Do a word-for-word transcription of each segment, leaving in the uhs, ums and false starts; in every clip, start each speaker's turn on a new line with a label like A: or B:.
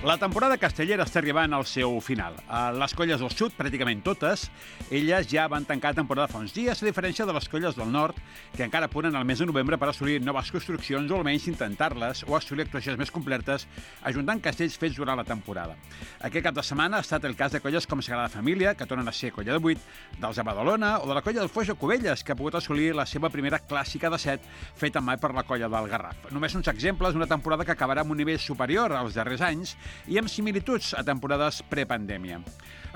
A: La temporada castellera està arribant al seu final. Les colles del sud, pràcticament totes, elles ja van tancar temporada fa uns dies, a diferència de les colles del nord, que encara apuren al mes de novembre per assolir noves construccions o almenys intentar-les o assolir actuacions més completes, ajuntant castells fets durant la temporada. Aquest cap de setmana ha estat el cas de colles com Sagrada Família, que tornen a ser colla de vuit, dels de Badalona o de la colla del Foix de Cubelles, que ha pogut assolir la seva primera clàssica de set, feta mai per la colla del Garraf. Només uns exemples d'una temporada que acabarà amb un nivell superior als darrers anys i amb similituds a temporades prepandèmia.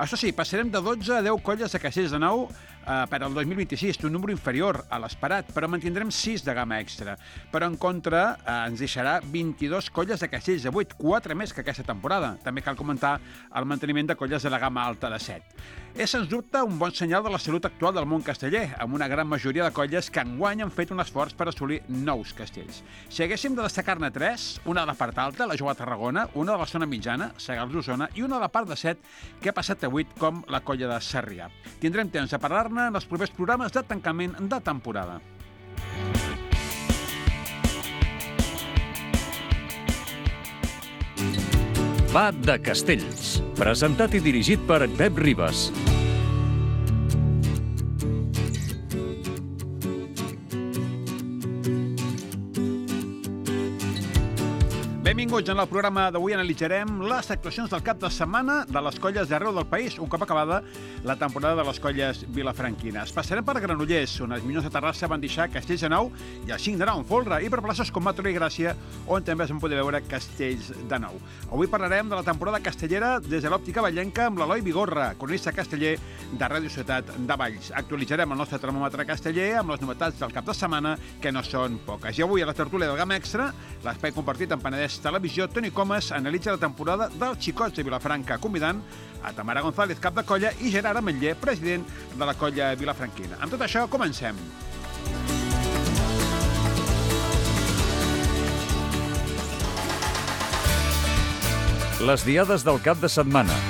A: Això sí, passarem de dotze a deu colles de castells de nou eh, per al dos mil vint-i-sis, un número inferior a l'esperat, però mantindrem sis de gamma extra. Però en contra eh, ens deixarà vint-i-dos colles de castells de vuit, quatre més que aquesta temporada. També cal comentar el manteniment de colles de la gamma alta de set. És, sens dubte, un bon senyal de la salut actual del món casteller, amb una gran majoria de colles que enguany han fet un esforç per assolir nous castells. Si haguéssim de destacar-ne tres, una de la part alta, la Jove a Tarragona, una de la zona mitjana, Segals d'Osona, i una de la part de set, que ha passat a vuit, com la colla de Sarrià. Tindrem temps de parlar-ne en els propers programes de tancament de temporada.
B: Va de Castells, presentat i dirigit per Pep Ribas.
A: Benvinguts. En el programa d'avui analitzarem les actuacions del cap de setmana de les colles d'arreu del país, un cop acabada la temporada de les colles vilafranquines. Passarem per Granollers, on els Minyons de Terrassa van deixar castells de nou i el cinc de nou en folre, i per places com Mataró i Gràcia, on també es van poder veure castells de nou. Avui parlarem de la temporada castellera des de l'òptica vallenca amb l'Eloi Vigorra, cronista casteller de Ràdio Ciutat de Valls. Actualitzarem el nostre termòmetre casteller amb les novetats del cap de setmana, que no són poques. I avui a la tertúlia del Gamma Extra, l'espai compartit amb Penedès Televisió, Toni Comas analitza la temporada dels Xicots de Vilafranca, convidant a Tamara González, cap de colla, i Gerard Ametller, president de la colla vilafranquina. Amb tot això, comencem.
B: Les diades del cap de setmana.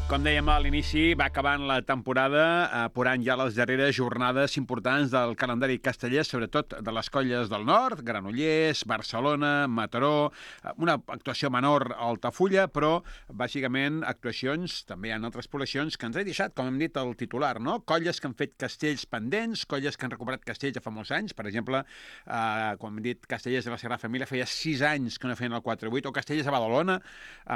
A: Com dèiem a l'inici, va acabant la temporada, apurant ja les darreres jornades importants del calendari casteller, sobretot de les colles del nord, Granollers, Barcelona, Mataró, una actuació menor a Altafulla, però bàsicament actuacions, també hi ha altres poblacions que ens he deixat, com hem dit el titular, no? Colles que han fet castells pendents, colles que han recuperat castells de fa molts anys, per exemple, eh, com hem dit, castellers de la Sagrada Família feia sis anys que no feien el quatre vuit, o castellers a Badalona,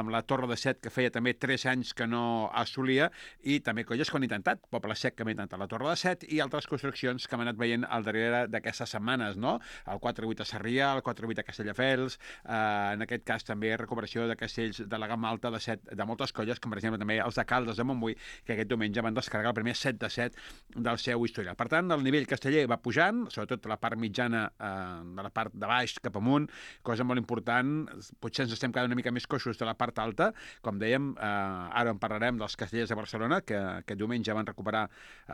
A: amb la Torre de Set, que feia també tres anys que no assolia, i també colles que han intentat, Poble Sec, que han intentat la Torre de Set, i altres construccions que hem anat veient al darrere d'aquestes setmanes, no? El quatre vuit a Sarrià, el quatre vuit a Castelldefels, eh, en aquest cas també recuperació de castells de la gamma alta de set de moltes colles, com per exemple també els de Caldes de Montbui, que aquest diumenge van descarregar el primer set de set del seu historial. Per tant, el nivell casteller va pujant, sobretot la part mitjana, eh, de la part de baix cap amunt, cosa molt important. Potser ens estem quedant una mica més coixos de la part alta, com dèiem, eh, ara en parlarem dels castellers de Barcelona, que aquest diumenge van recuperar,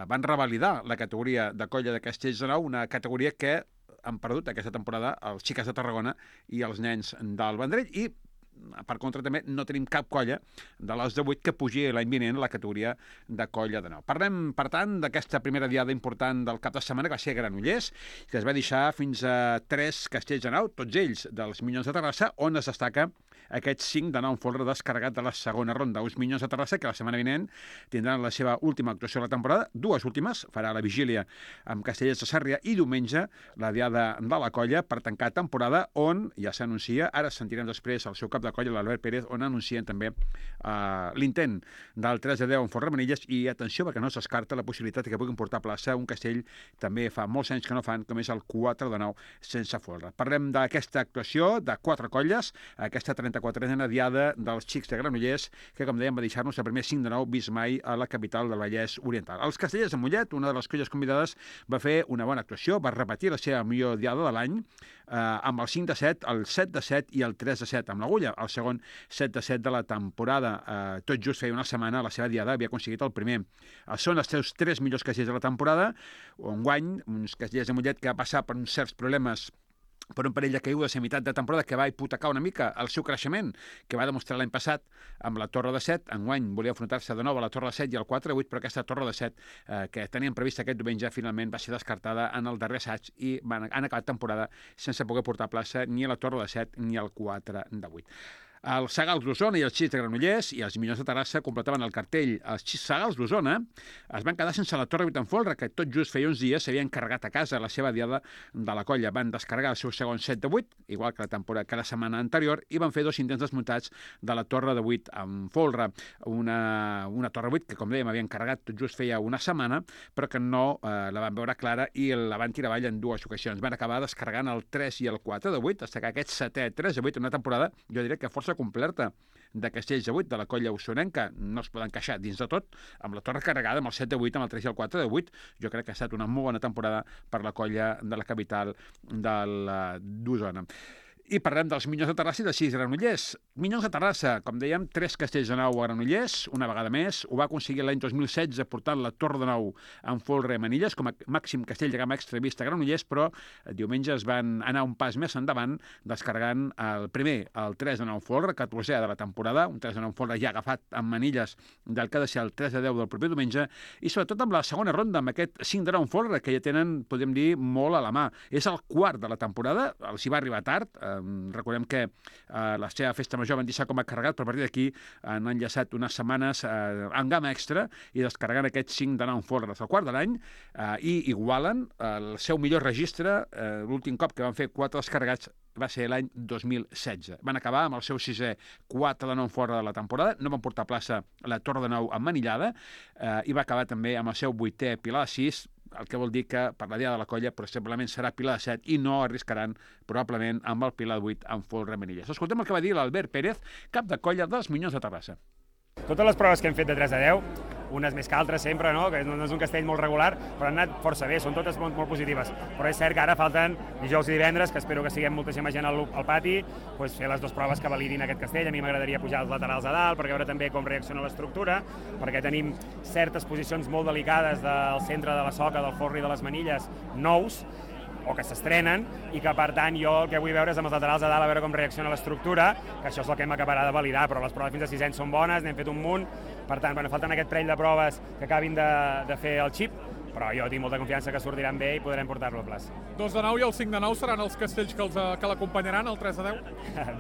A: van revalidar la categoria de colla de castells de nou, una categoria que han perdut aquesta temporada els Xiques de Tarragona i els nens del Vendrell, i per contra també no tenim cap colla de les de vuit que pugi l'any vinent a la categoria de colla de nou. Parlem, per tant, d'aquesta primera diada important del cap de setmana, que va ser Granollers, que es va deixar fins a tres castells de nou, tots ells dels Minyons de Terrassa, on es destaca aquest cinc de nou en folre descarregat de la segona ronda. Uns Minyons de Terrassa que la setmana vinent tindran la seva última actuació de la temporada, dues últimes, farà la vigília amb Castellers de Sarrià i diumenge la diada de la colla per tancar temporada, on ja s'anuncia, ara sentirem després el seu cap de colla, l'Albert Pérez, on anuncien també uh, l'intent del tres de deu en Font Remenilles, i atenció perquè no es descarta la possibilitat que puguin portar a plaça un castell també fa molts anys que no fan, com és el quatre de nou sense folre. Parlem d'aquesta actuació de quatre colles, aquesta trenta-quatrena diada dels Xics de Granollers, que com dèiem va deixar-nos el primer cinc de nou vist mai a la capital del Vallès Oriental. Els castellers de Mollet, una de les colles convidades, va fer una bona actuació, va repetir la seva millor diada de l'any, eh, amb el cinc de set, el set de set i el tres de set amb l'agulla, el segon set de set de la temporada. Eh, tot just feia una setmana la seva diada havia aconseguit el primer. Eh, són els seus tres millors castellers de la temporada, enguany, uns castellers de Mollet que va passar per uns certs problemes per un parell de caigudes a meitat de temporada que va hipotecar una mica el seu creixement, que va demostrar l'any passat amb la Torre de set. Enguany volia enfrontar-se de nou a la Torre de set i al quatre de vuit, però aquesta Torre de set eh, que tenien prevista aquest diumenge finalment va ser descartada en el darrer assaig i van, han acabat temporada sense poder portar a plaça ni a la Torre de set ni al quatre de vuit. Els Sagals d'Osona i els Xics de Granollers i els Minyons de Terrassa completaven el cartell. Els Sagals d'Osona es van quedar sense la Torre vuit en folre, que tot just feia uns dies s'havien carregat a casa la seva diada de la colla. Van descarregar el seu segon set de vuit, igual que la temporada que la setmana anterior, i van fer dos intents desmuntats de la Torre de vuit en folre. Una, una Torre vuit que, com dèiem, havien carregat tot just feia una setmana, però que no eh, la van veure clara i la van tirar avall en dues ocasions. Van acabar descarregant el tres i el quatre de vuit, fins que aquest setè tres de vuit en una temporada, jo diria que força completa de Castells de vuit, de la colla usonenca. No es poden queixar dins de tot, amb la torre carregada, amb el set de vuit, amb el tres i el quatre de vuit. Jo crec que ha estat una molt bona temporada per la colla de la capital d'Osona. I parlem dels Minyons de Terrassa i dels Xics de Granollers. Minyons de Terrassa, com dèiem, tres castells de nou a Granollers, una vegada més. Ho va aconseguir l'any dos mil setze portant la Torre de Nou en folre a Manilles com a màxim castell de gamma extra vist a Granollers, però diumenge es van anar un pas més endavant descarregant el primer, el tres de nou en folre, catorzè de la temporada, un tres de nou en folre ja agafat amb Manilles del que ha de ser el tres de deu del proper diumenge, i sobretot amb la segona ronda, amb aquest cinc de nou en folre, que ja tenen, podem dir, molt a la mà. És el quart de la temporada, els hi va arribar tard. Recordem que eh, la seva festa major van deixar com a carregat, però a partir d'aquí han enllaçat unes setmanes eh, en gamma extra i descarregant aquests cinc de nou en folre del quart de l'any eh, i igualen el seu millor registre. Eh, l'últim cop que van fer quatre descarregats va ser l'any dos mil setze. Van acabar amb el seu sisè quatre de nou en folre de la temporada, no van portar a plaça la Torre de Nou emmanillada eh, i va acabar també amb el seu vuitè Pilar de sis, el que vol dir que per la diada de la colla possiblement serà Pilar de set i no arriscaran probablement amb el Pilar de vuit en folre Manilles. Escoltem el que va dir l'Albert Pérez, cap de colla dels Minyons de Terrassa.
C: Totes les proves que hem fet de tres a deu, unes més que altres sempre, no? Que no és un castell molt regular, però han anat força bé, són totes molt, molt positives. Però és cert que ara falten dijous i divendres, que espero que siguem moltíssima gent al, al pati, pues fer les dues proves que validin aquest castell. A mi m'agradaria pujar els laterals a dalt per veure també com reacciona l'estructura, perquè tenim certes posicions molt delicades del centre de la soca, del folre i de les manilles nous, o que s'estrenen, i que per tant jo el que vull veure és amb els laterals a dalt a veure com reacciona l'estructura, que això és el que hem acabarà de validar, però les proves fins a sis anys són bones, n'hem fet un munt, per tant, bueno, falten aquest parell de proves que acabin de, de fer el xip, però jo tinc molta confiança que sortiran bé i podrem portar-lo a plaça.
D: dos de nou i el cinc de nou seran els castells que, els, que l'acompanyaran, el tres de deu?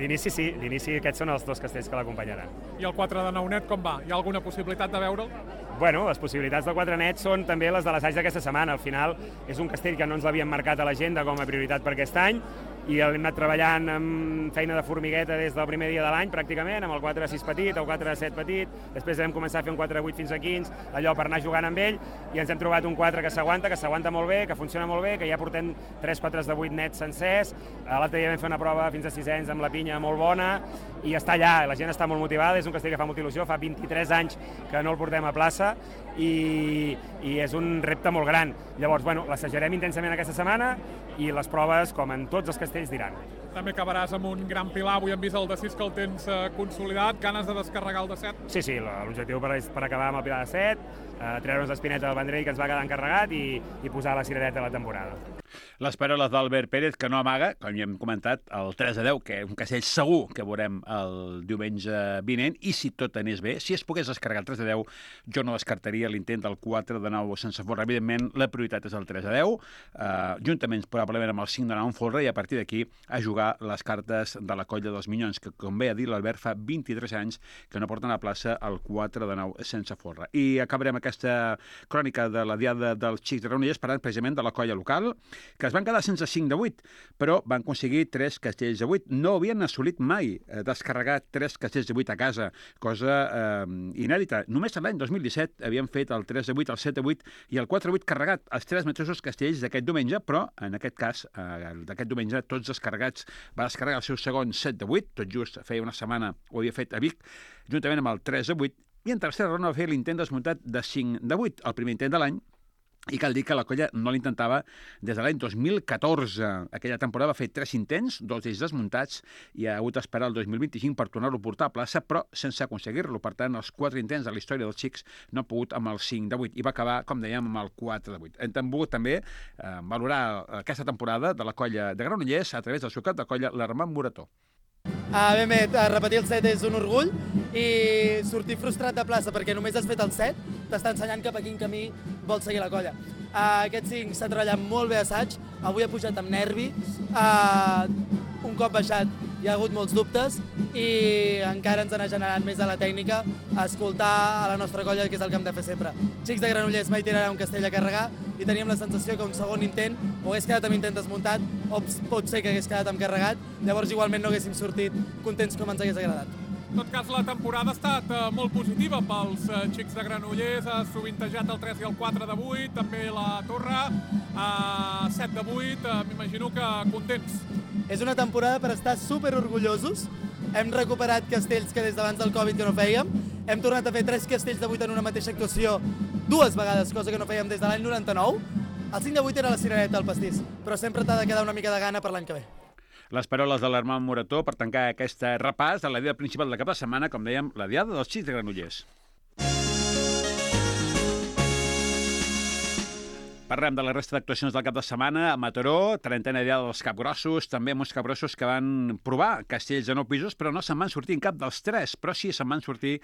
C: D'inici sí, d'inici aquests són els dos castells que l'acompanyaran.
D: I el quatre de nou net com va? Hi ha alguna possibilitat de veure'l?
C: Bueno, les possibilitats del quatre net són també les de l'assaig d'aquesta setmana. Al final és un castell que no ens l'havíem marcat a l'agenda com a prioritat per aquest any i hem anat treballant amb feina de formigueta des del primer dia de l'any pràcticament, amb el quatre a sis petit, el quatre a set petit, després vam començar a fer un quatre a vuit fins a quinze, allò per anar jugant amb ell, i ens hem trobat un quatre que s'aguanta, que s'aguanta molt bé, que funciona molt bé, que ja portem tres quatre de vuit nets sencers. L'altre dia vam fer una prova fins a sis anys amb la pinya molt bona i està allà, la gent està molt motivada, és un castell que fa molta il·lusió, fa vint-i-tres anys que no el portem a plaça i, i és un repte molt gran. Llavors, bueno, l'assajarem intensament aquesta setmana i les proves, com en tots els castells, diran.
D: També acabaràs amb un gran pilar, avui hem vist el de sis que el tens eh, consolidat, ganes de descarregar el de set?
C: Sí, sí, l'objectiu per, per acabar amb el pilar de set, eh, treure'ns l'espineta del Vendrell que ens va quedar encarregat i, i posar la ciradeta a la temporada.
A: Les paraules d'Albert Pérez, que no amaga, com ja hem comentat, el tres a deu, que és un castell segur que veurem el diumenge vinent, i si tot anés bé, si es pogués descarregar el tres a deu, jo no descartaria l'intent del quatre de nou sense folre. Evidentment, la prioritat és el tres a deu, eh, juntament probablement amb el cinc de nou en folre, i a partir d'aquí a jugar les cartes de la colla dels Minyons, que, com bé ha dit l'Albert, fa vint-i-tres anys que no porten a plaça el quatre de nou sense folre. I acabarem aquesta crònica de la diada dels Xics de Granollers parlant precisament de la colla local, que es van quedar sense cinc de vuit, però van aconseguir tres castells de vuit. No havien assolit mai eh, descarregar tres castells de vuit a casa, cosa eh, inèdita. Només l'any dos mil disset havien fet el tres de vuit, el set de vuit i el quatre de vuit carregat, els tres mateixos castells d'aquest diumenge, però en aquest cas, eh, d'aquest diumenge, tots descarregats. Va descarregar el seu segon set de vuit, tot just feia una setmana ho havia fet a Vic, juntament amb el tres de vuit, i en tercera ronda va fer l'intent desmuntat de cinc de vuit, el primer intent de l'any, I cal dir que la colla no l'intentava des de l'any dos mil catorze. Aquella temporada va fer tres intents, dos d'ells desmuntats, i ha hagut d'esperar el dos mil vint-i-cinc per tornar-lo a portar a plaça, però sense aconseguir-lo. Per tant, els quatre intents de la història dels xics no han pogut amb el cinc de vuit, i va acabar, com dèiem, amb el quatre de vuit. Hem volgut també eh, valorar aquesta temporada de la colla de Granollers a través del seu cap de colla, l'Armand Morató.
E: Uh, ben bé, repetir el set és un orgull i sortir frustrat de plaça perquè només has fet el set t'està ensenyant cap a quin camí vol seguir la colla. Uh, aquest cinc s'ha treballat molt bé assaig, avui ha pujat amb nervi, uh, un cop baixat hi ha hagut molts dubtes i encara ens ha generat més a la tècnica a escoltar a la nostra colla, que és el que hem de fer sempre. Xics de Granollers mai tirarà un castell a carregar i teníem la sensació que un segon intent o hagués quedat amb intent desmuntat o pot ser que hagués quedat amb carregat, llavors igualment no haguéssim sortit contents com ens hagués agradat.
D: En tot cas, la temporada ha estat uh, molt positiva pels uh, xics de Granollers, ha sovintejat el tres i el quatre de vuit, també la torre, uh, set de vuit, uh, m'imagino que contents.
E: És una temporada per estar super orgullosos. Hem recuperat castells que des d'abans del Covid que no fèiem. Hem tornat a fer tres castells de vuit en una mateixa actuació dues vegades, cosa que no fèiem des de l'any noranta-nou. El cinc de vuit era la cirereta del pastís, però sempre t'ha de quedar una mica de gana per l'any que ve.
A: Les paraules de l'Armand Morató per tancar aquest repàs de la diada principal de cap de setmana, com dèiem, la diada dels xics de Granollers. Parlem de la resta d'actuacions del cap de setmana. A Mataró, trentena diada dels capgrossos, també uns capgrossos que van provar castells de nou pisos, però no se'n van sortir en cap dels tres, però sí se'n van sortir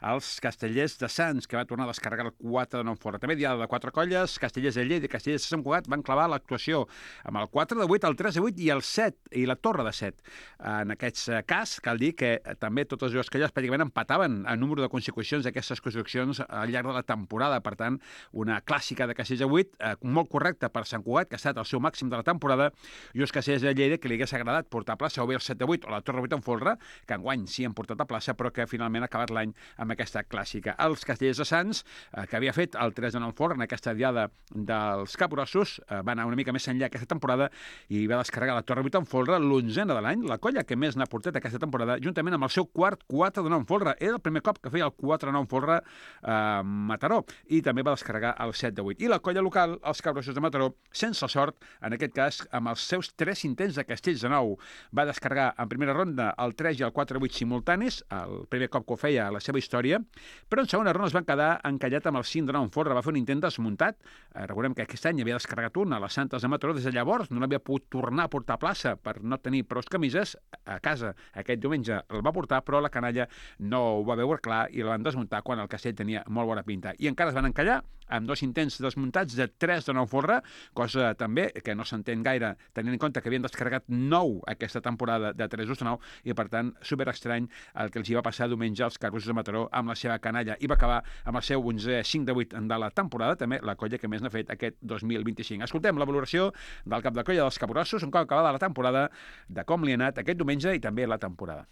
A: els castellers de Sants, que va tornar a descarregar el quatre de nou fora. També diada de quatre colles, castellers de Lleida i castellers de Sant Cugat van clavar l'actuació amb el quatre de vuit, el tres de vuit i el set, i la torre de set. En aquest cas, cal dir que també totes dues colles pràcticament empataven el número de consecucions d'aquestes construccions al llarg de la temporada. Per tant, una clàssica de castellers de vuit, molt correcte per Sant Cugat, que ha estat el seu màxim de la temporada, i els castellers de Lleida, que li hagués agradat portar a plaça o bé el set de vuit o la torre vuit en folre, que enguany sí han portat a plaça, però que finalment ha acabat l'any amb aquesta clàssica. Els castellers de Sants, eh, que havia fet el tres de nou folre en aquesta diada dels capgrossos, eh, va anar una mica més enllà aquesta temporada i va descarregar la torre vuit en folre, l'onzena de l'any, la colla que més n'ha portat aquesta temporada, juntament amb el seu quart quatre de nou en folre. Era el primer cop que feia el quatre de nou en folre a eh, Mataró, i també va descarregar el set de vuit. I la colla local, els capgrossos de Mataró, sense sort, en aquest cas, amb els seus tres intents de castells de nou. Va descarregar en primera ronda el tres i el quatre de vuit simultanis, el primer cop que ho feia a la seva història, però en segona ronda es van quedar encallat amb el cinc de nou en folre. Va fer un intent desmuntat. Eh, recordem que aquest any havia descarregat un a les Santes de Mataró. Des de llavors no l'havia pogut tornar a portar a plaça per no tenir prou camises. A casa aquest diumenge el va portar, però la canalla no ho va veure clar i el van desmuntar quan el castell tenia molt bona pinta. I encara es van encallar amb dos intents desmuntats de tres de nou folre, cosa també que no s'entén gaire, tenint en compte que havien descarregat nou aquesta temporada de tres de nou, i per tant, super estrany el que els hi va passar diumenge als capgrossos de Mataró amb la seva canalla, i va acabar amb el seu onzè cinc de vuit de la temporada, també la colla que més n'ha fet aquest dos mil vint-i-cinc. Escoltem la valoració del cap de colla dels capgrossos un cop acabada la temporada, de com li ha anat aquest diumenge i també la temporada.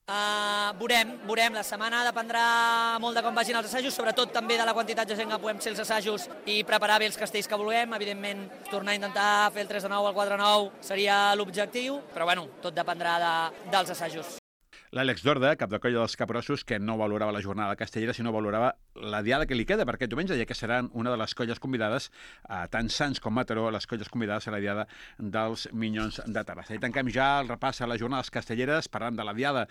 F: Uh, veurem, veurem, la setmana dependrà molt de com vagin els assajos, sobretot també de la quantitat de gent que puguem ser els assajos i preparar bé els castells que vulguem. Evidentment, tornar a intentar fer el tres de nou, el quatre de nou seria l'objectiu, però bueno, tot dependrà de, dels assajos.
A: L'Àlex Dorda, cap de colla dels capgrossos, que no valorava la jornada castellera, sinó valorava la diada que li queda per aquest diumenge, ja que seran una de les colles convidades, a tant Sants com Mataró, les colles convidades a la diada dels Minyons de Terrassa. I tanquem ja el repàs a les jornades castelleres, parlant de la diada,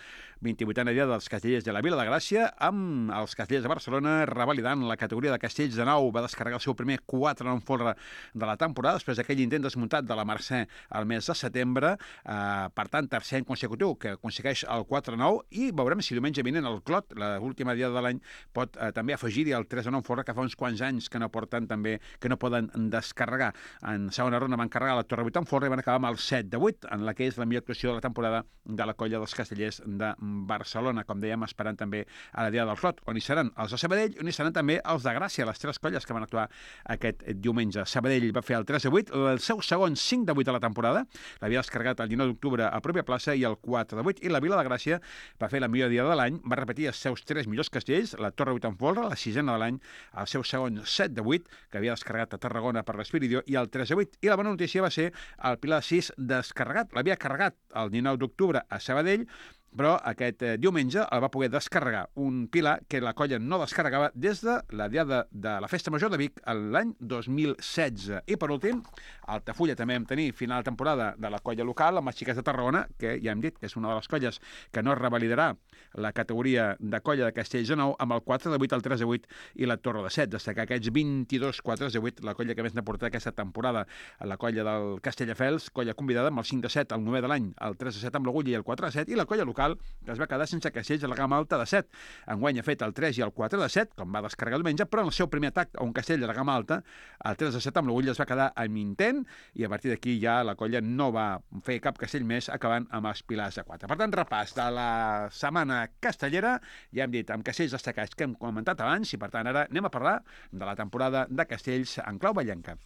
A: vint-i-vuitena diada dels castellers de la Vila de Gràcia, amb els castellers de Barcelona revalidant la categoria de castells de nou. Va descarregar el seu primer quatre en folre de la temporada, després d'aquell intent desmuntat de la Mercè al mes de setembre, eh, per tant, tercer any consecutiu que aconsegueix el quatre de nou, i veurem si diumenge vinent el Clot, l'última diada de l'any, pot eh, també afegir-hi el tres de nou folre, que fa uns quants anys que no porten també, que no poden descarregar. En segona ronda van carregar la torre vuit en folre i van acabar amb el set de vuit, en la que és la millor actuació de la temporada de la colla dels castellers de Barcelona, com dèiem, esperant també a la diada del Clot, on hi seran els de Sabadell, on hi seran també els de Gràcia, les tres colles que van actuar aquest diumenge. Sabadell va fer el tres de vuit, el seu segon cinc de vuit de la temporada, l'havia descarregat el dinou d'octubre a pròpia plaça, i el quatre de vuit, i la Vila de Gràcia va fer la millor diada de l'any, va repetir els seus tres millors castells, la torre vuit en folre, la sisena de l'any, el seu segon set de vuit, que havia descarregat a Tarragona per l'Espiridió, i el tres de vuit. I la bona notícia va ser el Pilar sis descarregat. L'havia carregat el dinou d'octubre a Sabadell, però aquest eh, diumenge el va poder descarregar un pilar que la colla no descarregava des de la diada de la Festa Major de Vic l'any dos mil setze. I per últim, a Altafulla també vam tenir final de temporada de la colla local, amb les xiques de Tarragona, que ja hem dit que és una de les colles que no es revalidarà la categoria de colla de Castells de Nou amb el quatre de vuit, el tres de vuit i la Torre de set. Destacar aquests vint-i-dos quatre de vuit, la colla que més n'ha portat aquesta temporada, la colla del Castelldefels, colla convidada amb el cinc de set, el novè de l'any, el tres de set amb l'Agulla i el quatre de set, i la colla local que es va quedar sense castells a la gamma alta de set. Enguany ha fet el tres i el quatre de set, com va descarregar diumenge, però en el seu primer atac a un castell de la gamma alta, el tres de set amb l'Agulla es va quedar amb intent, i a partir d'aquí ja la colla no va fer cap castell més, acabant amb els pilars de quatre. Per tant, repàs de la setmana castellera, ja hem dit, amb castells destacats que hem comentat abans, i per tant ara anem a parlar de la temporada de castells en clau vallenca.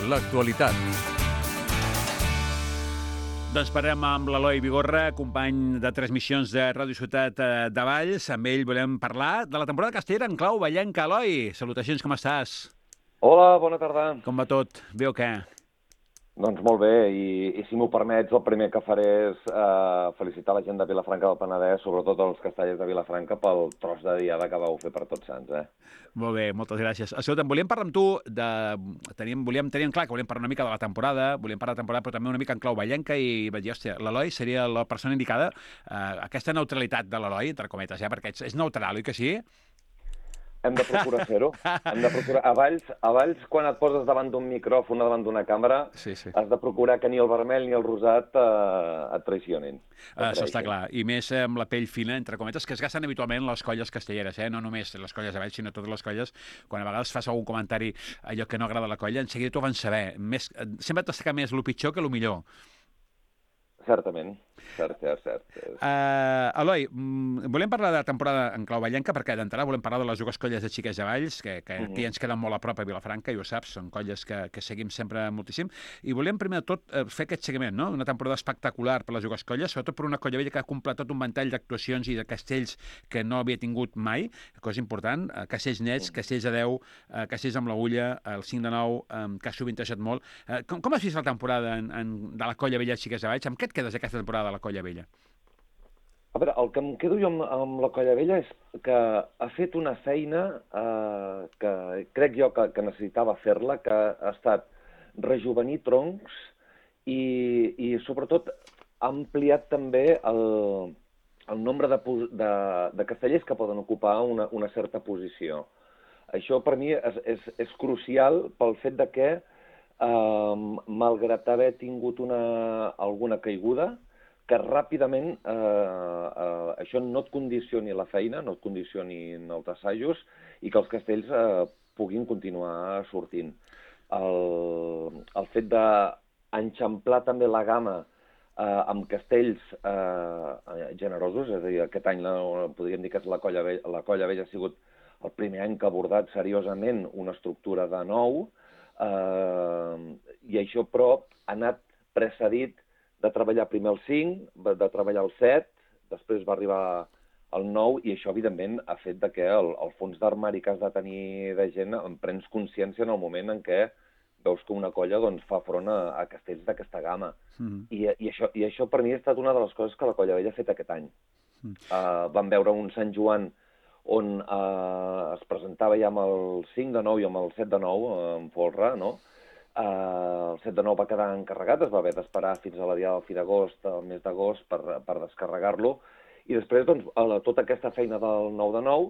B: L'actualitat.
A: Doncs parlem amb l'Eloi Vigorra, company de transmissions de Ràdio Ciutat de Valls. Amb ell volem parlar de la temporada castellera en clau vallenca. Eloi, salutacions, com estàs?
G: Hola, bona tarda.
A: Com va tot? Bé o què?
G: Doncs molt bé, i, i si m'ho permets, el primer que faré és eh, felicitar la gent de Vilafranca del Penedès, sobretot els castellers de Vilafranca, pel tros de diada que vau fer per Tots Sants, eh?
A: Molt bé, moltes gràcies. Escolta, volíem parlar amb tu, de... teníem, volíem, teníem clar que volíem parlar una mica de la temporada, volíem parlar de la temporada, però també una mica en clau vallenca, i vaig dir, hòstia, l'Eloi seria la persona indicada. Eh, aquesta neutralitat de l'Eloi, entre cometes, eh, perquè és neutral, oi que sí?
G: Hem de procurar fer-ho. Hem de procurar... A Valls, a Valls, quan et poses davant d'un micròfon o davant d'una càmera,
A: sí, sí.
G: has de procurar que ni el vermell ni el rosat eh, et traicionin.
A: Uh, això està clar. I més amb la pell fina, entre cometes, que es gasten habitualment les colles castelleres, eh? No només les colles de Valls, sinó totes les colles. Quan a vegades fas algun comentari allò que no agrada a la colla, en seguida t'ho van saber. Més... Sempre destacar més el pitjor que el millor.
G: Certament, cert, cert, cert.
A: Uh, Eloi, mm, volem parlar de la temporada en clau vallenca, perquè d'entrada volem parlar de les dues colles de xiques de Valls, que, que uh -huh. aquí ens queden molt a prop a Vilafranca, i ho saps, són colles que, que seguim sempre moltíssim, i volem primer de tot uh, fer aquest seguiment, no? Una temporada espectacular per les dues colles, sobretot per una colla vella que ha completat un ventall d'actuacions i de castells que no havia tingut mai, cosa important, uh, castells nets, castells de deu, uh, castells amb l'Agulla, el cinc de nou, um, que ha sovintejat molt. Uh, com, com has vist la temporada en, en, de la colla vella de xiques de Valls? Amb què et quedes aquesta temporada de la colla vella?
G: A veure, el que em quedo jo amb, amb la colla vella és que ha fet una feina eh, que crec jo que, que necessitava fer-la, que ha estat rejuvenir troncs i, i sobretot ha ampliat també el, el nombre de, de, de castellers que poden ocupar una, una certa posició. Això per mi és, és, és crucial pel fet de que Uh, malgrat haver tingut una, alguna caiguda, que ràpidament uh, uh, això no et condicioni la feina, no et condicioni els assajos, i que els castells uh, puguin continuar sortint. El, el fet d'enxamplar també la gamma uh, amb castells uh, generosos, és a dir, aquest any la, podríem dir que és la colla vella, la colla vella ha sigut el primer any que ha abordat seriosament una estructura de nou, Uh, i això, però, ha anat precedit de treballar primer el cinc, de treballar el set, després va arribar el nou, i això, evidentment, ha fet de que el, el fons d'armari que has de tenir de gent en prens consciència en el moment en què veus que una colla doncs, fa front a, a castells d'aquesta gamma. Mm. I, i, això, I això, per mi, ha estat una de les coses que la colla vella ha fet aquest any. Mm. Uh, vam veure un Sant Joan on eh, es presentava ja amb el cinc de nou i amb el set de nou, eh, en folre, no? Eh, el set de nou va quedar encarregat, es va haver d'esperar fins a la diada del fi d'agost, el mes d'agost, per, per descarregar-lo, i després, doncs, la, tota aquesta feina del nou de nou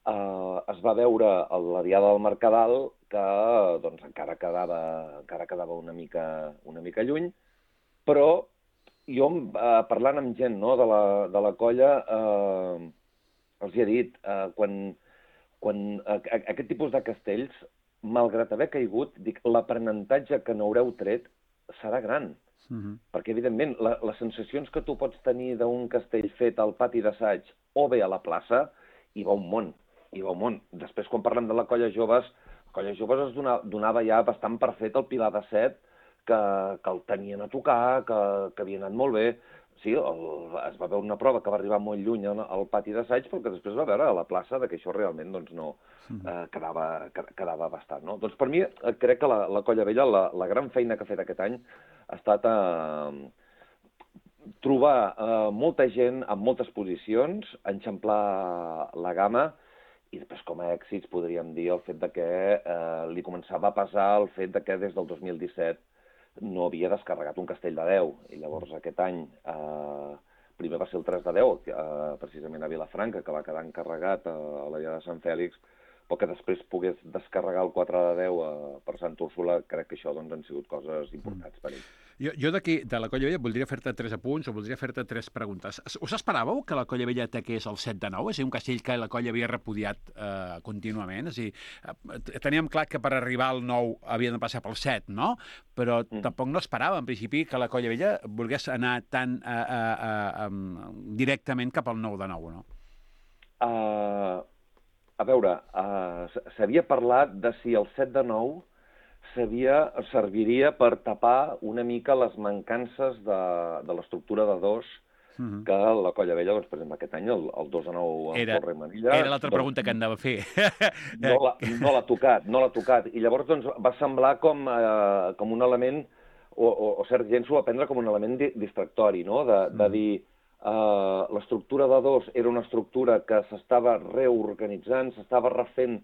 G: eh, es va veure a la diada del Mercadal, que doncs, encara quedava, encara quedava una, mica, una mica lluny, però jo, eh, parlant amb gent, no, de, la, de la colla, eh, els hi he dit, eh, quan, quan eh, aquest tipus de castells, malgrat haver caigut, dic, l'aprenentatge que n'haureu tret serà gran. Uh-huh. Perquè, evidentment, la, les sensacions que tu pots tenir d'un castell fet al pati d'assaig o bé a la plaça, hi va un món, hi va un món. Després, quan parlem de la colla joves, la colla joves es donava, donava ja bastant per fet el pilar de set, que, que el tenien a tocar, que, que havia anat molt bé. Sí, el, es va veure una prova que va arribar molt lluny al, al pati d'assaig, però que després va veure a la plaça que això realment doncs, no, eh, quedava, quedava bastant. No? Doncs per mi crec que la, la colla vella, la, la gran feina que ha fet aquest any ha estat eh, trobar uh, molta gent amb moltes posicions, enxamplar la gamma, i després com a èxits podríem dir el fet de que eh, li començava a pesar el fet de que des del dos mil disset no havia descarregat un castell de deu, i llavors aquest any eh, primer va ser el tres de deu, eh, precisament a Vilafranca, que va quedar encarregat a, a la Dia de Sant Fèlix, però que després pogués descarregar el quatre de deu eh, per Sant Úrsula, crec que això doncs, han sigut coses importants per ell.
A: Jo, jo d'aquí, de la Colla Vella, voldria fer-te tres apunts o voldria fer-te tres preguntes. Us esperàveu que la Colla Vella ataqués el set de nou? És a dir, un castell que la Colla havia repudiat eh, contínuament? És a dir, eh, teníem clar que per arribar al nou havien de passar pel set, no? Però mm. tampoc no esperava, en principi, que la Colla Vella volgués anar tan eh, eh, eh, directament cap al nou de nou, no?
G: Uh, a veure, uh, s'havia parlat de si el set de nou Serviria, serviria per tapar una mica les mancances de, de l'estructura de dos uh-huh. que la Colla Vella, doncs, per exemple, aquest any, el, el dos de nou en Torre i Manilla...
A: Era l'altra doncs, pregunta que anava a fer.
G: No l'ha no l'ha tocat, no l'ha tocat. I llavors doncs, va semblar com, eh, com un element, o, o, o cert gent s'ho va prendre com un element di, distractori, no? De, de uh-huh. dir... Eh, l'estructura de dos era una estructura que s'estava reorganitzant, s'estava refent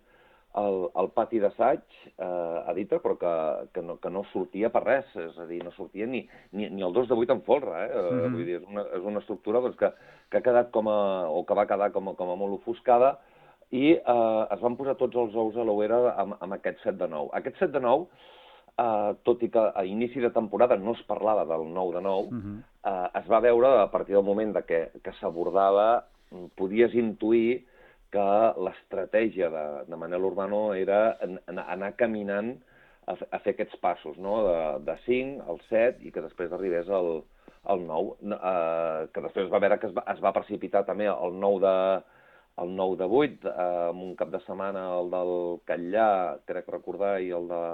G: El, el pati d'assaig eh, a Dita, però que, que, no, que no sortia per res, és a dir, no sortia ni, ni, ni el dos de vuit en folre, eh? Mm-hmm. Vull dir, és una, és una estructura doncs, que, que ha quedat com a, o que va quedar com a, com a molt ofuscada, i eh, es van posar tots els ous a l'ouera amb, amb aquest set de nou. Aquest set de nou, eh, tot i que a inici de temporada no es parlava del nou de nou, mm-hmm. eh, es va veure a partir del moment de que, que s'abordava, podies intuir que l'estratègia de, de Manel Urbano era en, en, anar caminant a, a fer aquests passos, no? de, de cinc al set i que després arribés al, al nou, eh, que després va veure que es va, es va precipitar també el nou de, el nou de vuit, eh, amb un cap de setmana el del Catllà, crec recordar, i el de,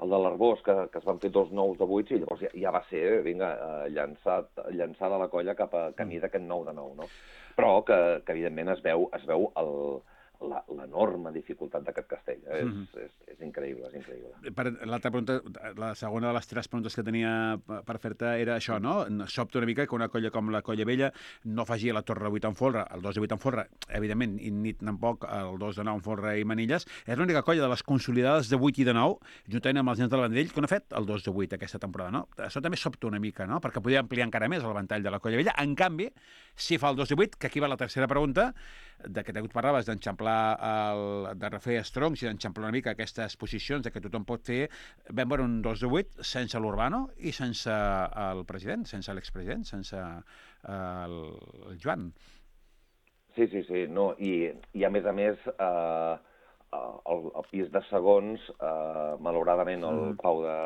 G: el de l'Arbós, que, que es van fer dos nous de vuit, i llavors ja, ja va ser, vinga, eh, llançat, llançada la colla cap a camí d'aquest nou de nou, no? Però que, que evidentment es veu, es veu el, l'enorme dificultat d'aquest castell. Eh? Mm-hmm. és, és, és increïble, és increïble.
A: Per, l'altra pregunta, la segona de les tres preguntes que tenia per fer-te era això, no? Sobta una mica que una colla com la Colla Vella no faci la Torre de vuit en folre, el dos de vuit en folre, evidentment, i ni tampoc el dos de nou en folre i Manilles. És l'única colla de les consolidades de vuit i de nou, juntament amb els nens del Vendrell, que no ha fet el dos de vuit aquesta temporada, no? Això també sobta una mica, no? Perquè podria ampliar encara més el ventall de la Colla Vella. En canvi, si fa el dos de vuit, que aquí va la tercera pregunta, de que tu parlaves d'enxamplar, el, de refer estroncs i d'enxamplar una mica aquestes posicions de que tothom pot fer, vam veure un dos de vuit sense l'Urbano i sense el president, sense l'expresident, sense el, el Joan.
G: Sí, sí, sí, no, i, i a més a més, eh, el, el pis de segons, eh, malauradament el mm. Pau de,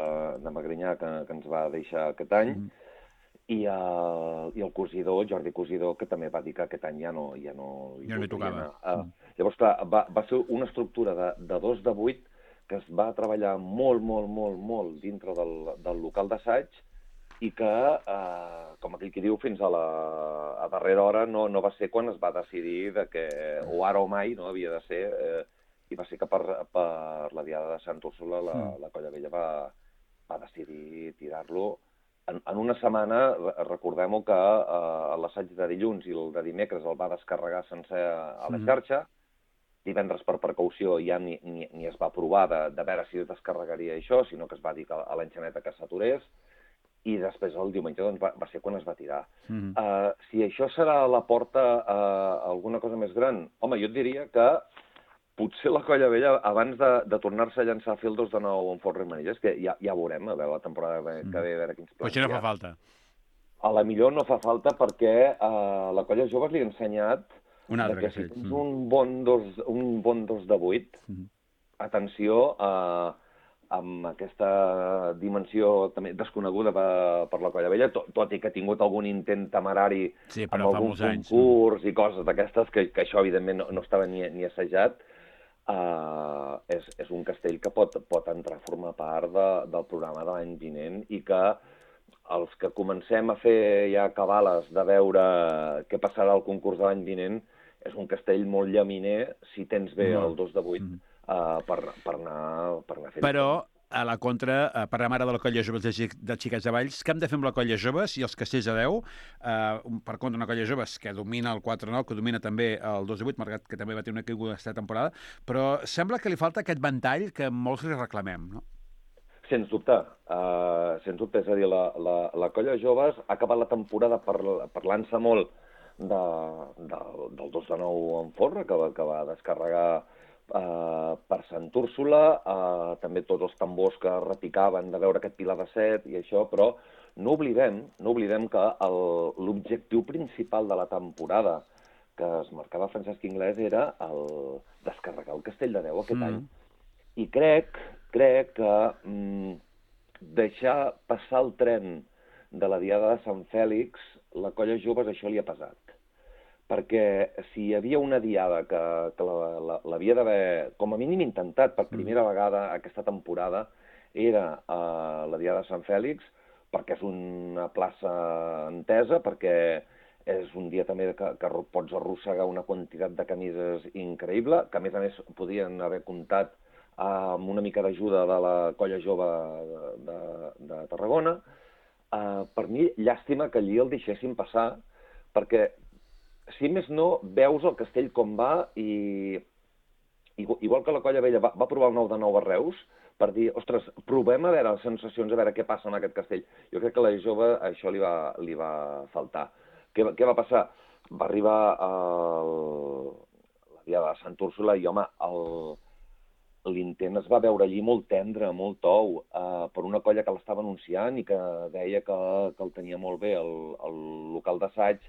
G: de Magrinyà, que, que ens va deixar aquest any, mm. I, uh, i el cosidor, Jordi Cosidor, que també va dir que aquest any ja no ja no,
A: ja no hi tocava.
G: Uh, llavors, clar, va, va ser una estructura de, de dos de vuit que es va treballar molt, molt, molt, molt dintre del, del local d'assaig i que, uh, com aquell qui diu, fins a la a darrera hora no, no va ser quan es va decidir de que o ara o mai no havia de ser, eh, i va ser que per, per la Diada de Sant Úrsula la, mm. la Colla Vella va, va decidir tirar-lo. En, en una setmana, recordem-ho que eh, l'assaig de dilluns i el de dimecres el va descarregar sencer a la xarxa. Divendres, per precaució, ja ni, ni, ni es va provar de, de veure si descarregaria això, sinó que es va dir que a l'enxaneta que s'aturés, i després el diumenge doncs, va, va ser quan es va tirar. Mm-hmm. uh, si això serà la porta a alguna cosa més gran, home, jo et diria que potser la Colla Vella, abans de, de tornar-se a llançar a fer el dos de nou en Folre i Manilles, que ja, ja veurem, a veure la temporada que ve, a veure quins plans.
A: Però això no fa falta.
G: A la millor no fa falta perquè uh, la Colla Joves li ha ensenyat
A: un altre
G: que si tens mm. un, bon dos, un bon dos de vuit, mm. atenció uh, amb aquesta dimensió també desconeguda per, per la Colla Vella, tot, tot i que ha tingut algun intent temerari
A: sí,
G: amb algun concurs anys, no? I coses d'aquestes, que, que això evidentment no, no estava ni, ni assajat. Uh, és, és un castell que pot, pot entrar a formar part de, del programa de l'any vinent i que els que comencem a fer ja cabales de veure què passarà al concurs de l'any vinent és un castell molt llaminer si tens bé no. el dos de vuit mm. uh, per, per anar, per anar fent.
A: Però a la contra, eh, per la mare de la colla joves de, de Xiquets de Valls, què hem de fer amb la colla joves i els castells de deu? Eh, per contra, una colla joves que domina el quatre nou, que domina també el dos de vuit, malgrat que també va tenir una caiguda aquesta temporada, però sembla que li falta aquest ventall que molts li reclamem, no?
G: Sens dubte, uh, sens dubte, és a dir, la, la, la colla joves ha acabat la temporada par, parlant-se molt de, de, del dos de nou en Forra, que va, que va descarregar Uh, per Sant Úrsula, uh, també tots els tambors que repicaven de veure aquest pilar de set i això, però no oblidem, no oblidem que l'objectiu principal de la temporada que es marcava Francesc Inglés era el descarregar el Castell de Deu aquest mm. any. I crec, crec que mm, deixar passar el tren de la Diada de Sant Fèlix, la colla joves això li ha pesat. Perquè si hi havia una diada que, que l'havia d'haver, com a mínim intentat per primera vegada aquesta temporada, era uh, la Diada de Sant Fèlix, perquè és una plaça entesa, perquè és un dia també que, que pots arrossegar una quantitat de camises increïble, que a més a més podien haver comptat amb una mica d'ajuda de la colla jove de, de, de Tarragona. Uh, per mi, llàstima que allí el deixessin passar, perquè si més no, veus el castell com va i, igual que la Colla Vella va, va provar el nou de nou a Reus, per dir, ostres, provem a veure les sensacions, a veure què passa en aquest castell. Jo crec que a la jove això li va, li va faltar. Què, què va passar? Va arribar el, la Diada de Sant Úrsula i, home, l'intent es va veure allí molt tendre, molt tou, eh, per una colla que l'estava anunciant i que deia que, que el tenia molt bé el, el local d'assaig.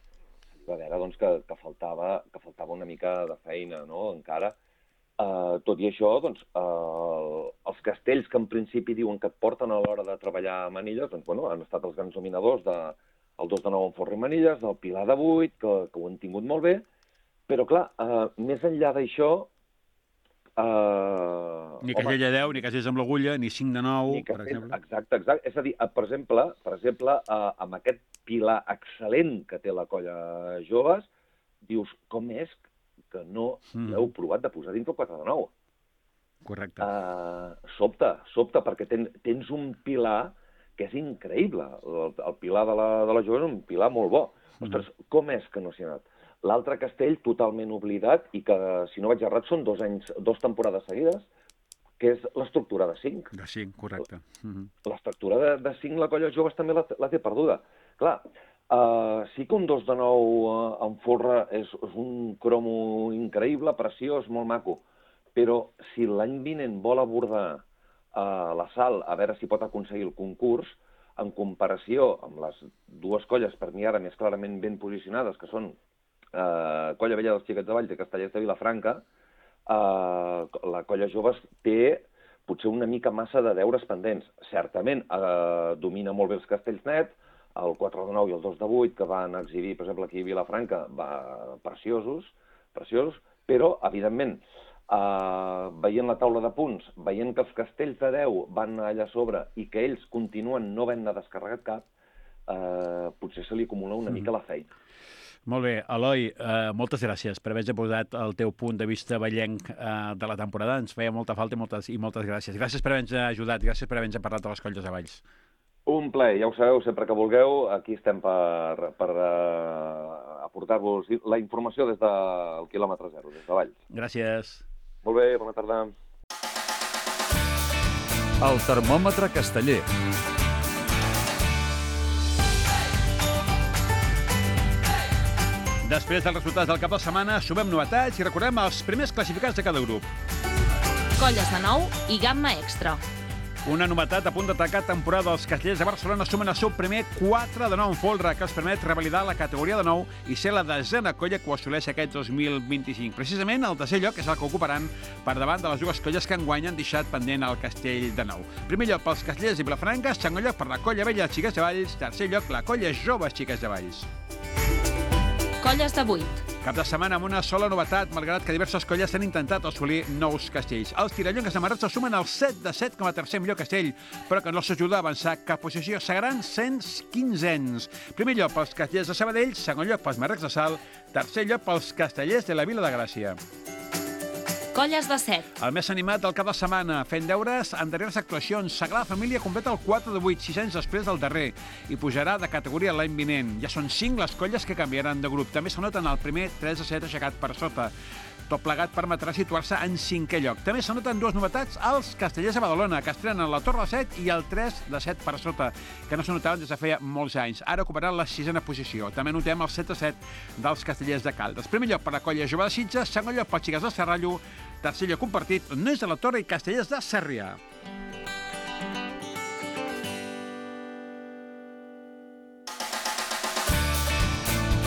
G: Va veure doncs, que, que, faltava, que faltava una mica de feina, no?, encara. Uh, tot i això, doncs, uh, els castells que en principi diuen que et porten a l'hora de treballar a Manilles, doncs, bueno, han estat els grans dominadors del de, dos de nou en Forra i Manilles, del Pilar de vuit, que, que ho han tingut molt bé, però, clar, uh, més enllà d'això... Uh,
A: ni Castell de deu, ni Castells amb l'agulla, ni cinc de nou,
G: per
A: Castell, exemple.
G: Exacte, exacte. És a dir, per exemple, per exemple uh, amb aquest pilar excel·lent que té la colla joves, dius, com és que no mm. l'heu provat de posar dins el quatre de nou?
A: Correcte.
G: Uh, sobta, sobta, perquè ten, tens un pilar que és increïble. El, el pilar de la, de la jove és un pilar molt bo. Mm. Ostres, com és que no s'hi ha anat? L'altre castell totalment oblidat i que, si no vaig errat, són dos anys, dos temporades seguides, que és l'estructura de cinc.
A: De cinc, correcte.
G: Uh-huh. L'estructura de, de cinc, la colla joves també la, la té perduda. Clar, uh, sí que un dos de nou uh, en Forra és, és un cromo increïble, preciós, molt maco, però si l'any vinent vol abordar uh, la Sal a veure si pot aconseguir el concurs, en comparació amb les dues colles, per mi ara més clarament ben posicionades, que són Uh, Colla Vella dels Xiquets de Valls i Castellers de Vilafranca, uh, la colla joves té potser una mica massa de deures pendents. Certament uh, domina molt bé els castells net, el quatre de nou i el dos de vuit que van exhibir, per exemple, aquí a Vilafranca, va, preciosos, preciosos, però, evidentment, uh, veient la taula de punts, veient que els castells de deu van allà a sobre i que ells continuen no havent-ne descarregat cap, uh, potser se li acumula una mm. mica la feina.
A: Molt bé. Eloi, eh, moltes gràcies per haver-nos posat el teu punt de vista vellenc eh, de la temporada. Ens feia molta falta i moltes, i moltes gràcies. Gràcies per haver-nos ajudat, gràcies per haver-nos parlat de les colles de Valls.
G: Un plaer, ja ho sabeu, sempre que vulgueu, aquí estem per, per uh, aportar-vos la informació des del quilòmetre zero, des de Valls.
A: Gràcies.
G: Molt bé, bona tarda.
B: El termòmetre casteller.
A: Després dels resultats del cap de setmana, sumem novetats i recordem els primers classificats de cada grup.
H: Colles de nou i gamma extra.
A: Una novetat a punt d'atacar temporada dels Castellers de Barcelona sumen el seu primer quatre de nou en folre, que els permet revalidar la categoria de nou i ser la desena colla que ho assoleix aquest dos mil vint-i-cinc. Precisament el tercer lloc és el que ocuparan per davant de les dues colles que enguany han deixat pendent el Castell de Nou. Primer lloc pels Castellers i Vilafranca, segon lloc per la Colla Vella dels Xiquets de Valls, tercer lloc la Colla Joves Xiquets de Valls.
H: Colles de vuit.
A: Cap de setmana amb una sola novetat, malgrat que diverses colles han intentat assolir nous castells. Els tirallongues de Marratxa sumen el set de set com a tercer millor castell, però que no s'ajuda a avançar cap posició. Seran cent quinzens. Primer lloc pels castellers de Sabadell, segon lloc pels Marrecs de Salt, tercer lloc pels castellers de la Vila de Gràcia.
H: Colles de set.
A: El més animat del cap de setmana, fent deures en darreres actuacions. Sagrada Família completa el quatre de vuit, sis anys després del darrer, i pujarà de categoria l'any vinent. Ja són cinc les colles que canviaran de grup. També s'anoten el primer tres de set aixecat per sota. Tot plegat permetrà situar-se en cinquè lloc. També s'anoten dues novetats als castellers de Badalona, que estrenen la Torre de set i el tres de set per sota, que no s'anotaven des de feia molts anys. Ara ocuparan la sisena posició. També notem el set de set dels castellers de Caldes. Primer lloc per la colla jove de Sitges, segon lloc pels xiques de Serrallo, tercer lloc compartit, Nois de la Torre i castellers de Sarrià.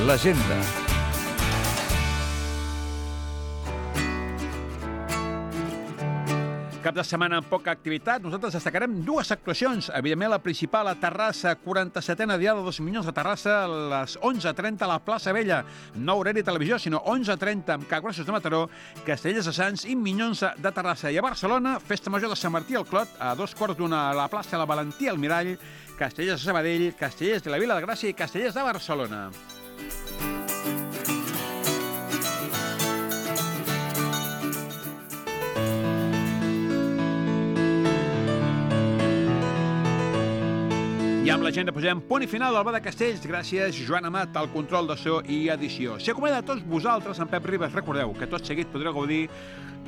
B: L'agenda.
A: Cap de setmana amb poca activitat, nosaltres destacarem dues actuacions. Evidentment, la principal a Terrassa, quaranta-setena diada dels Minyons de Terrassa, a les onze trenta a la plaça Vella. No horari televisió, sinó onze trenta amb Caggrossos de Mataró, Castellers de Sants i Minyons de Terrassa. I a Barcelona, Festa Major de Sant Martí al Clot, a dos quarts d'una a la plaça La Valentia al Mirall, Castellers de Sabadell, Castellers de la Vila de Gràcia i Castellers de Barcelona. I amb l'agenda posem punt i final al Bar de Castells. Gràcies, Joan Amat, al control de so i edició. Si acomiada a tots vosaltres, en Pep Ribas, recordeu que tot seguit podreu gaudir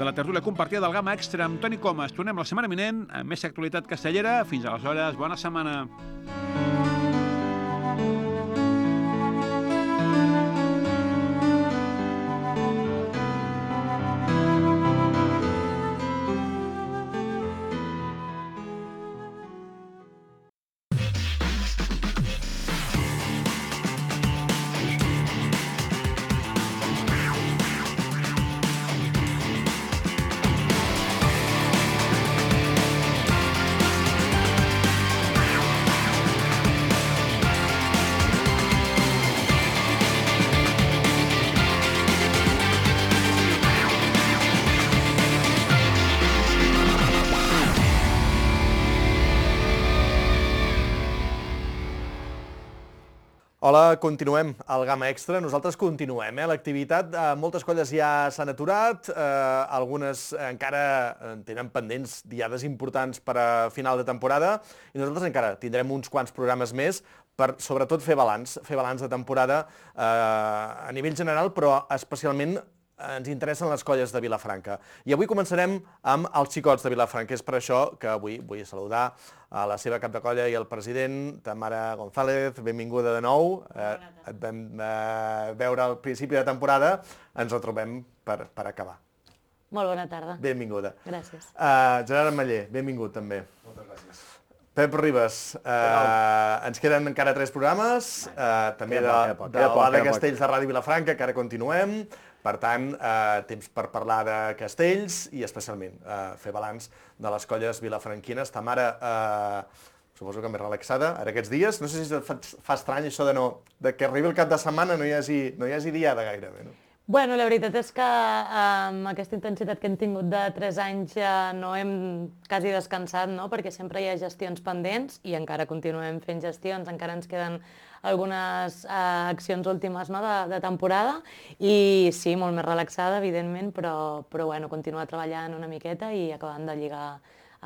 A: de la tertúlia compartida del Gamma Extra amb Toni Comas. Tornem la setmana vinent amb més actualitat castellera. Fins aleshores, bona setmana.
I: Hola, continuem al Gamma Extra. Nosaltres continuem, eh? L'activitat, eh, moltes colles ja s'han aturat, eh, algunes encara tenen pendents diades importants per a final de temporada i nosaltres encara tindrem uns quants programes més per, sobretot, fer balanç, fer balanç de temporada eh, a nivell general, però especialment ens interessen les colles de Vilafranca. I avui començarem amb els xicots de Vilafranca. És per això que avui vull saludar a la seva cap de colla i el president, Tamara González. Benvinguda de nou. Eh, et vam eh, veure al principi de temporada. Ens ho trobem per, per acabar.
J: Molt bona tarda.
I: Benvinguda.
J: Gràcies.
I: Uh, Gerard Ametller, benvingut també.
K: Moltes gràcies.
I: Pep Ribas, uh, ens queden encara tres programes, uh, també de, de l'A de Castells de Ràdio Vilafranca, que ara continuem. Per tant, eh, temps per parlar de castells i especialment eh, fer balanç de les colles vilafranquines. Tamara, eh, suposo que més relaxada ara aquests dies. No sé si fa, fa estrany això de, no, de que arribi el cap de setmana no hi hagi, no hi hagi diada gairebé, no?
J: Bueno, la veritat és que amb aquesta intensitat que hem tingut de tres anys ja no hem quasi descansat, no? Perquè sempre hi ha gestions pendents i encara continuem fent gestions, encara ens queden algunes eh, accions últimes, no? de, de temporada i sí, molt més relaxada, evidentment, però, però bueno, continuar treballant una miqueta i acabant de lligar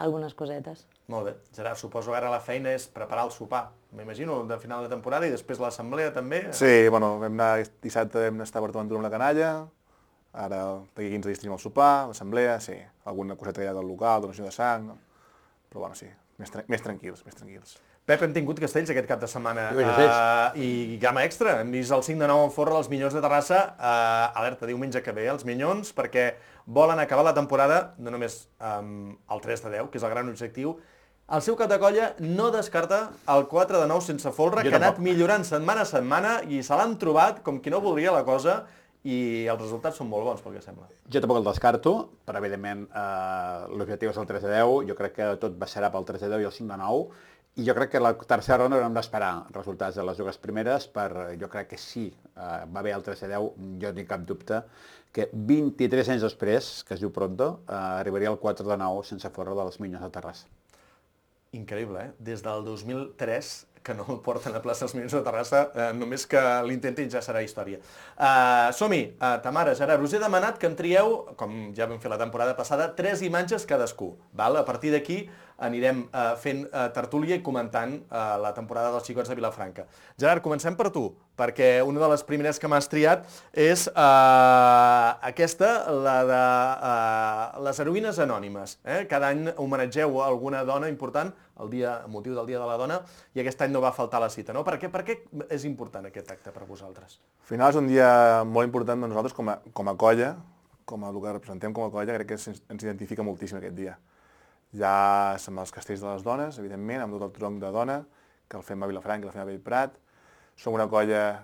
J: algunes cosetes.
I: Molt bé. Gerard, suposo que ara la feina és preparar el sopar, m'imagino, de final de temporada i després l'assemblea també.
K: Sí, bueno, vam anar dissabte, vam estar a Bartoventura amb la canalla, ara d'aquí quinze dies tenim el sopar, l'assemblea, sí, alguna coseta ja del local, donació de sang, no? Però bueno, sí, més, tra més tranquils, més tranquils.
I: Pep, hem tingut castells aquest cap de setmana uh, i Gamma Extra. Hem vist el cinc de nou en Forra, els Minyons de Terrassa. Uh, alerta, diumenge que ve, els Minyons, perquè volen acabar la temporada, no només um, el tres de deu, que és el gran objectiu. El seu cap de colla no descarta el quatre de nou sense folre, jo que ha anat millorant setmana a setmana i se l'han trobat com qui no voldria la cosa i els resultats són molt bons, pel que sembla.
L: Jo tampoc el descarto, però evidentment eh, l'objectiu és el tres de deu, jo crec que tot baixarà pel tres de deu i el cinc de nou, i jo crec que la tercera ronda haurem d'esperar resultats de les dues primeres, per, jo crec que sí, eh, va bé el tres de deu, jo no tinc cap dubte, que vint-i-tres anys després, que es diu pronto, eh, arribaria el quatre de nou sense folre dels Minyons de Terrassa.
I: Increïble, eh? Des del dos mil tres que no el porten a plaça dels Minuts de Terrassa, eh, només que l'intentin ja serà història. Uh, Som-hi, uh, Tamara, Gerard, us he demanat que en trieu, com ja vam fer la temporada passada, tres imatges cadascú. Val? A partir d'aquí anirem uh, fent uh, tertúlia i comentant uh, la temporada dels Xicots de Vilafranca. Gerard, comencem per tu, perquè una de les primeres que m'has triat és uh, aquesta, la de uh, les heroïnes anònimes. Eh? Cada any homenatgeu alguna dona important, el dia, el motiu del Dia de la Dona, i aquest any no va faltar la cita, no? Per què, per què és important aquest acte per vosaltres?
K: Al final és un dia molt important per nosaltres com a, com a colla, com a el que representem com a colla, crec que ens, ens identifica moltíssim aquest dia. Ja som els castells de les dones, evidentment, amb tot el tronc de dona, que el fem a Vilafranca, que el fem a Bellprat. Som una colla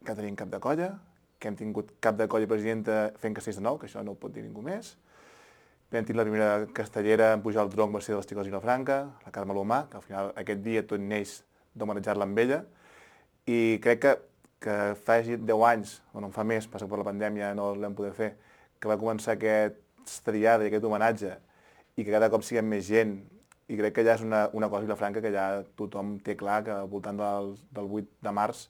K: que tenim cap de colla, que hem tingut cap de colla presidenta fent castells de nou, que això no ho pot dir ningú més. Vam tenir la primera castellera en pujar al tronc va ser dels Xicots de Vilafranca, la Carme Lomà, que al final aquest dia tot neix d'homenatjar-la amb ella. I crec que, que fa deu anys, o no en fa més, passa per la pandèmia, no l'hem poder fer, que va començar aquesta diada i aquest homenatge, i que cada cop siguem més gent, i crec que ja és una, una cosa a Vilafranca que ja tothom té clar que al voltant del, del vuit de març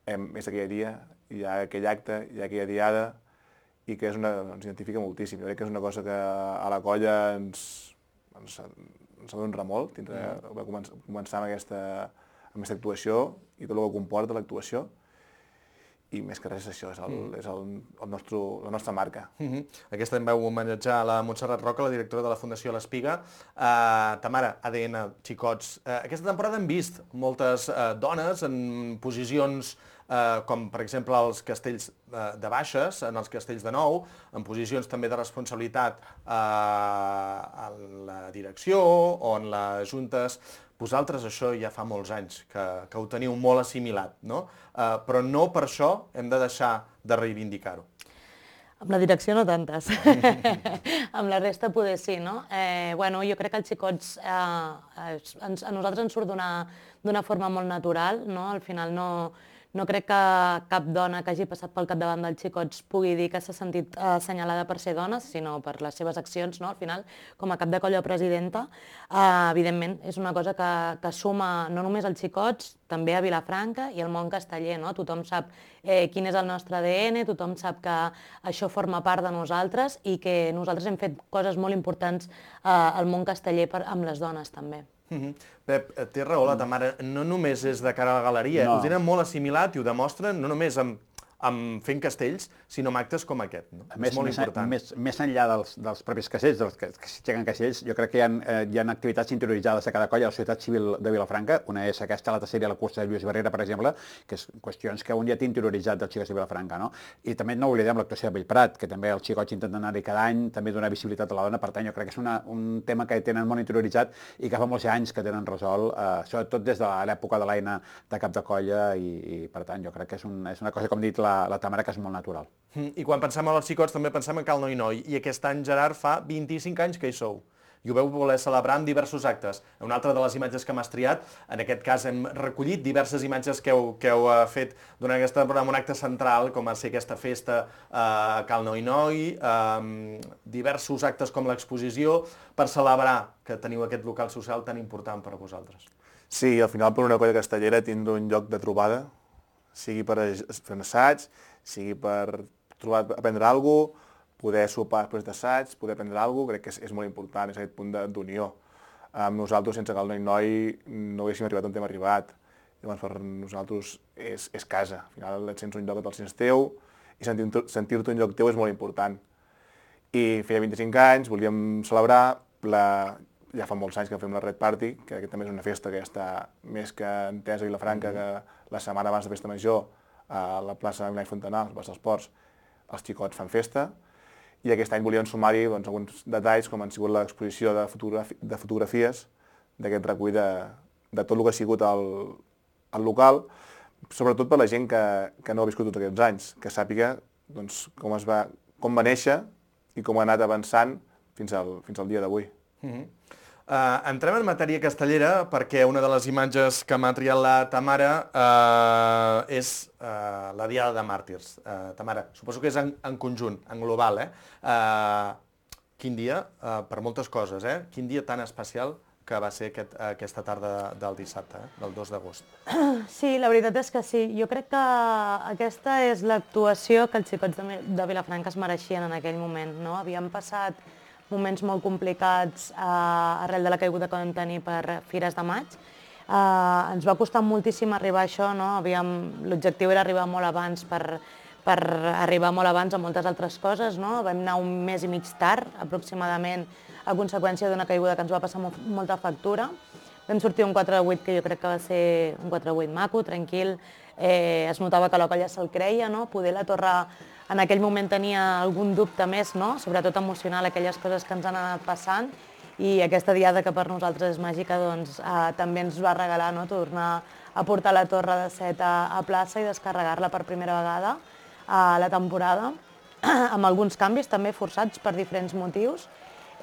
K: hem, és aquell dia, hi ha aquell acte, hi ha aquella diada, i que és una, ens identifica moltíssim. Jo crec que és una cosa que a la colla ens, ens, ens ha d'honrar molt, tindre, mm. va començar, començar amb aquesta, amb aquesta actuació i tot el que comporta l'actuació. I més que res això, és, el, mm. és el, el nostre, la nostra marca.
I: Mm-hmm. Aquesta en vau homenatjar la Montserrat Roca, la directora de la Fundació L'Espiga. Uh, Tamara, A D N, Xicots. Uh, aquesta temporada hem vist moltes uh, dones en posicions Uh, com per exemple els castells uh, de baixes, en els castells de nou, en posicions també de responsabilitat uh, en la direcció o en les juntes. Vosaltres això ja fa molts anys que, que ho teniu molt assimilat, no? Uh, però no per això hem de deixar de reivindicar-ho.
J: Amb la direcció no tantes, amb la resta poder sí, no? Eh, bueno, jo crec que els xicots eh, ens, a nosaltres ens surt d'una forma molt natural, no? Al final no, no crec que cap dona que hagi passat pel capdavant dels xicots pugui dir que s'ha sentit eh, assenyalada per ser dona, sinó per les seves accions, no? Al final, com a cap de colla presidenta, eh, evidentment és una cosa que, que suma no només als xicots, també a Vilafranca i al món casteller, no? Tothom sap eh, quin és el nostre A D N, tothom sap que això forma part de nosaltres i que nosaltres hem fet coses molt importants eh, al món casteller per, amb les dones també.
I: Mm-hmm. Pep, té raó la Tamara, no només és de cara a la galeria, no. Ho tenen molt assimilat i ho demostren no només amb, amb fent castells, sinó amb actes com aquest. No?
L: Més,
I: és molt
L: més,
I: important.
L: Més, més enllà dels, dels propis castells, dels que, que s'aixequen castells, jo crec que hi ha, eh, hi ha activitats interioritzades a cada colla, a la societat civil de Vilafranca. Una és aquesta, la tercera, la cursa de Lluís Barrera, per exemple, que és qüestions que un ja té interioritzat dels xicots de Vilafranca. No? I també no oblidem l'actuació de Bellprat, que també els xicots intenten anar-hi cada any, també donar visibilitat a la dona. Per tant, jo crec que és una, un tema que tenen molt interioritzat i que fa molts anys que tenen resolt, eh, sobretot des de l'època de l'Aina de cap de colla, i, i per tant, jo crec que és, un, és una cosa, com ha dit la, la Tamara, que és molt natural.
I: I quan pensem en els xicots també pensem en Cal Noi Noi, i aquest any, Gerard, fa vint-i-cinc anys que hi sou. I ho veu voler celebrar amb diversos actes. Una altra de les imatges que m'has triat, en aquest cas hem recollit diverses imatges que heu, que heu fet durant aquesta temporada amb un acte central, com va ser aquesta festa a uh, Cal Noi Noi, uh, diversos actes com l'exposició, per celebrar que teniu aquest local social tan important per a vosaltres.
K: Sí, al final per una colla castellera tindre un lloc de trobada, sigui per fer un assaig, sigui per trobar, aprendre alguna cosa, poder sopar després d'assaig, poder aprendre alguna cosa, crec que és, és molt important, és aquest punt d'unió. Amb nosaltres, sense Cal Noi Noi, no haguéssim arribat on hem arribat. Llavors, per nosaltres és, és casa. Al final et sents un lloc que te'l sents teu i sentir-te sentir un lloc teu és molt important. I feia vint-i-cinc anys, volíem celebrar, la, ja fa molts anys que fem la Red Party, que aquest també és una festa que ja està més que entesa a Vilafranca, mm-hmm. que la setmana abans de Festa Major, a la plaça Milà i Fontanà, a la plaça dels Ports, els xicots fan festa, i aquest any volíem sumar-hi doncs, alguns detalls, com han sigut l'exposició de, fotografi de fotografies d'aquest recull de, de tot el que ha sigut el, el local, sobretot per la gent que, que no ha viscut tots aquests anys, que sàpiga doncs, com, es va, com va néixer i com ha anat avançant fins al, fins al dia d'avui.
I: Mm-hmm. Uh, entrem en matèria castellera perquè una de les imatges que m'ha triat la Tamara uh, és uh, la Diada de Màrtirs. Uh, Tamara, suposo que és en, en conjunt, en global, eh? Uh, quin dia, uh, per moltes coses, eh? Quin dia tan especial que va ser aquest, aquesta tarda del dissabte, eh? Del dos d'agost.
J: Sí, la veritat és que sí. Jo crec que aquesta és l'actuació que els xicots de, de Vilafranca es mereixien en aquell moment, no? Havien passat moments molt complicats eh, arrel de la caiguda que vam tenir per Fires de Maig. Eh, ens va costar moltíssim arribar a això, no? L'objectiu era arribar molt abans per, per arribar molt abans a moltes altres coses, no? Vam anar un mes i mig tard, aproximadament, a conseqüència d'una caiguda que ens va passar molt, molta factura. Vam sortir un quatre vuit que jo crec que va ser un quatre vuit maco, tranquil. Eh, es notava que la colla se'l creia, no? Poder la torre en aquell moment tenia algun dubte més, no? Sobretot emocional, aquelles coses que ens han anat passant. I aquesta diada que per nosaltres és màgica, doncs, eh, també ens va regalar, no? Tornar a portar la torre de set a, a plaça i descarregar-la per primera vegada a la temporada, amb alguns canvis també forçats per diferents motius.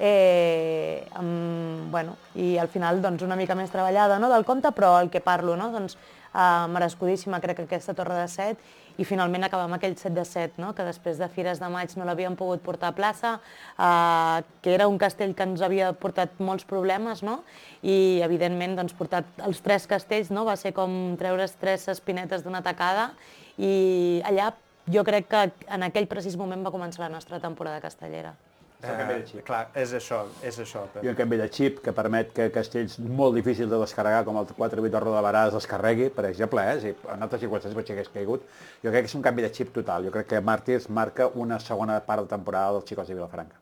J: Eh, amb, bueno, i al final doncs, una mica més treballada, no, del compte, però el que parlo, no, doncs, eh, merescudíssima crec que aquesta torre de set, i finalment acabar amb aquell set de set, no, que després de Fires de Maig no l'havíem pogut portar a plaça, eh, que era un castell que ens havia portat molts problemes, no, i evidentment doncs, portar els tres castells, no, va ser com treure's tres espinetes d'una tacada, i allà jo crec que en aquell precís moment va començar la nostra temporada castellera.
I: Eh, clar, és això, és això.
L: I un canvi de xip que permet que castells molt difícils de descarregar, com el quatre vuit de Roda de Barà, es descarregui, per exemple, eh? Si en altres circumstàncies potser hagués caigut. Jo crec que és un canvi de xip total. Jo crec que Màrtirs marca una segona part de temporada dels xicots de Vilafranca.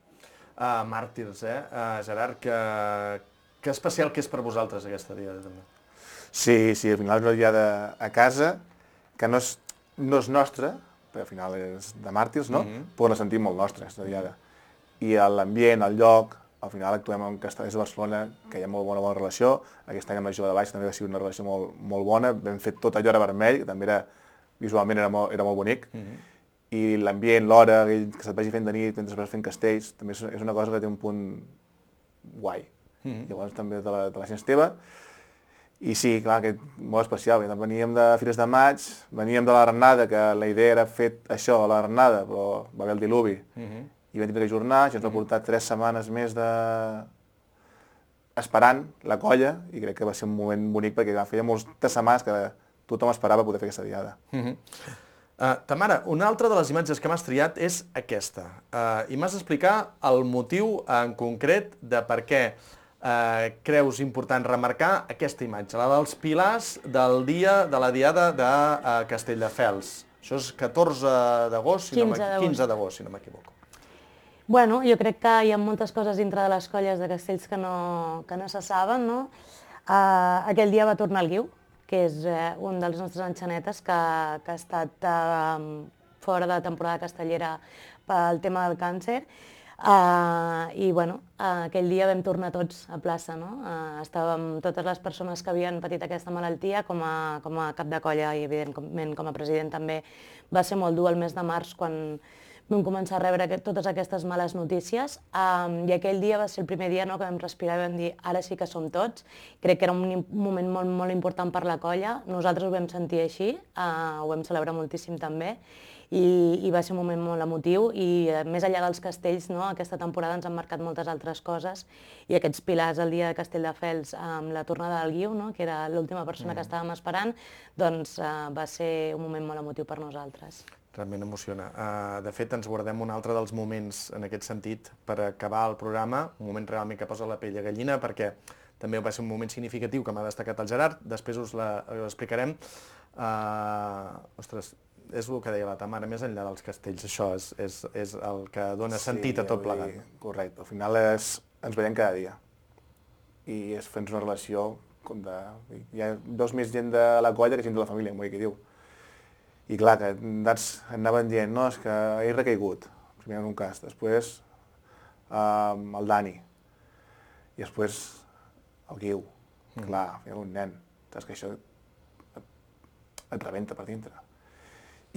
I: Uh, Màrtirs, eh? Uh, Gerard, que, que especial que és per vosaltres aquesta diada, també.
K: Sí, sí, al final és una diada a casa, que no és, no és nostra, perquè al final és de Màrtirs, no? Mm-hmm. Però la sentim molt nostra, aquesta diada. I l'ambient, el lloc, al final actuem amb Castellers de Barcelona, que hi ha molt bona, bona relació. Aquest any amb la Jove de Baix també va ser una relació molt, molt bona. Vam fer tot allò era vermell, que també era, visualment era molt, era molt bonic. Mm-hmm. I l'ambient, l'hora, que se't vagi fent de nit mentre vas fent castells, també és una cosa que té un punt guai. Mm-hmm. Llavors també de la, de la gent Esteve. I sí, clar, que molt especial. Veníem de Fires de Maig, veníem de la Renada, que la idea era fer això a la Renada, però va haver el diluvi. Mm-hmm. I vam tenir que ajornar, això ens va portar tres setmanes més de... esperant la colla, i crec que va ser un moment bonic perquè feia moltes setmanes que tothom esperava poder fer aquesta diada.
I: Uh-huh. uh, Tamara, una altra de les imatges que m'has triat és aquesta, uh, i m'has d'explicar el motiu en concret de per què uh, creus important remarcar aquesta imatge, la dels pilars del dia de la diada de uh, Castelldefels. Això és catorze d'agost, quinze d'agost, si no m'equivoco.
J: Bueno, jo crec que hi ha moltes coses dintre de les colles de castells que no, que no se saben, no? Uh, aquell dia va tornar el Guiu, que és uh, un dels nostres enxanetes que, que ha estat uh, fora de temporada castellera pel tema del càncer. Uh, I bueno, uh, aquell dia vam tornar tots a plaça, no? Uh, estàvem totes les persones que havien patit aquesta malaltia com a, com a cap de colla i evidentment com a president també. Va ser molt dur el mes de març quan vam començar a rebre aquest, totes aquestes males notícies, um, i aquell dia va ser el primer dia, no, que vam respirar i vam dir ara sí que som tots. Crec que era un moment molt, molt important per la colla, nosaltres ho vam sentir així, uh, ho vam celebrar moltíssim també, i, i va ser un moment molt emotiu, i uh, més enllà dels castells, no, aquesta temporada ens han marcat moltes altres coses, i aquests pilars el dia de Castelldefels amb la tornada del Guiu, no, que era l'última persona mm. que estàvem esperant, doncs uh, va ser un moment molt emotiu per nosaltres.
I: Realment emociona. Uh, de fet, ens guardem un altre dels moments en aquest sentit per acabar el programa, un moment realment que posa la pell de gallina, perquè també va ser un moment significatiu que m'ha destacat el Gerard, després us l'explicarem. Uh, ostres, és el que deia la Tamara, més enllà dels castells, això és, és, és el que dona sí, sentit a tot plegat.
K: Sí, correcte, al final és, ens veiem cada dia i és fent una relació com de... Hi ha dos més gent de la colla que gent de la família, com qui diu. I clar, que anaven dient, no, és que he recaigut, primer en un cas, després um, el Dani, i després el Guiu, mm. clar, era un nen, saps que això et, et rebenta per dintre.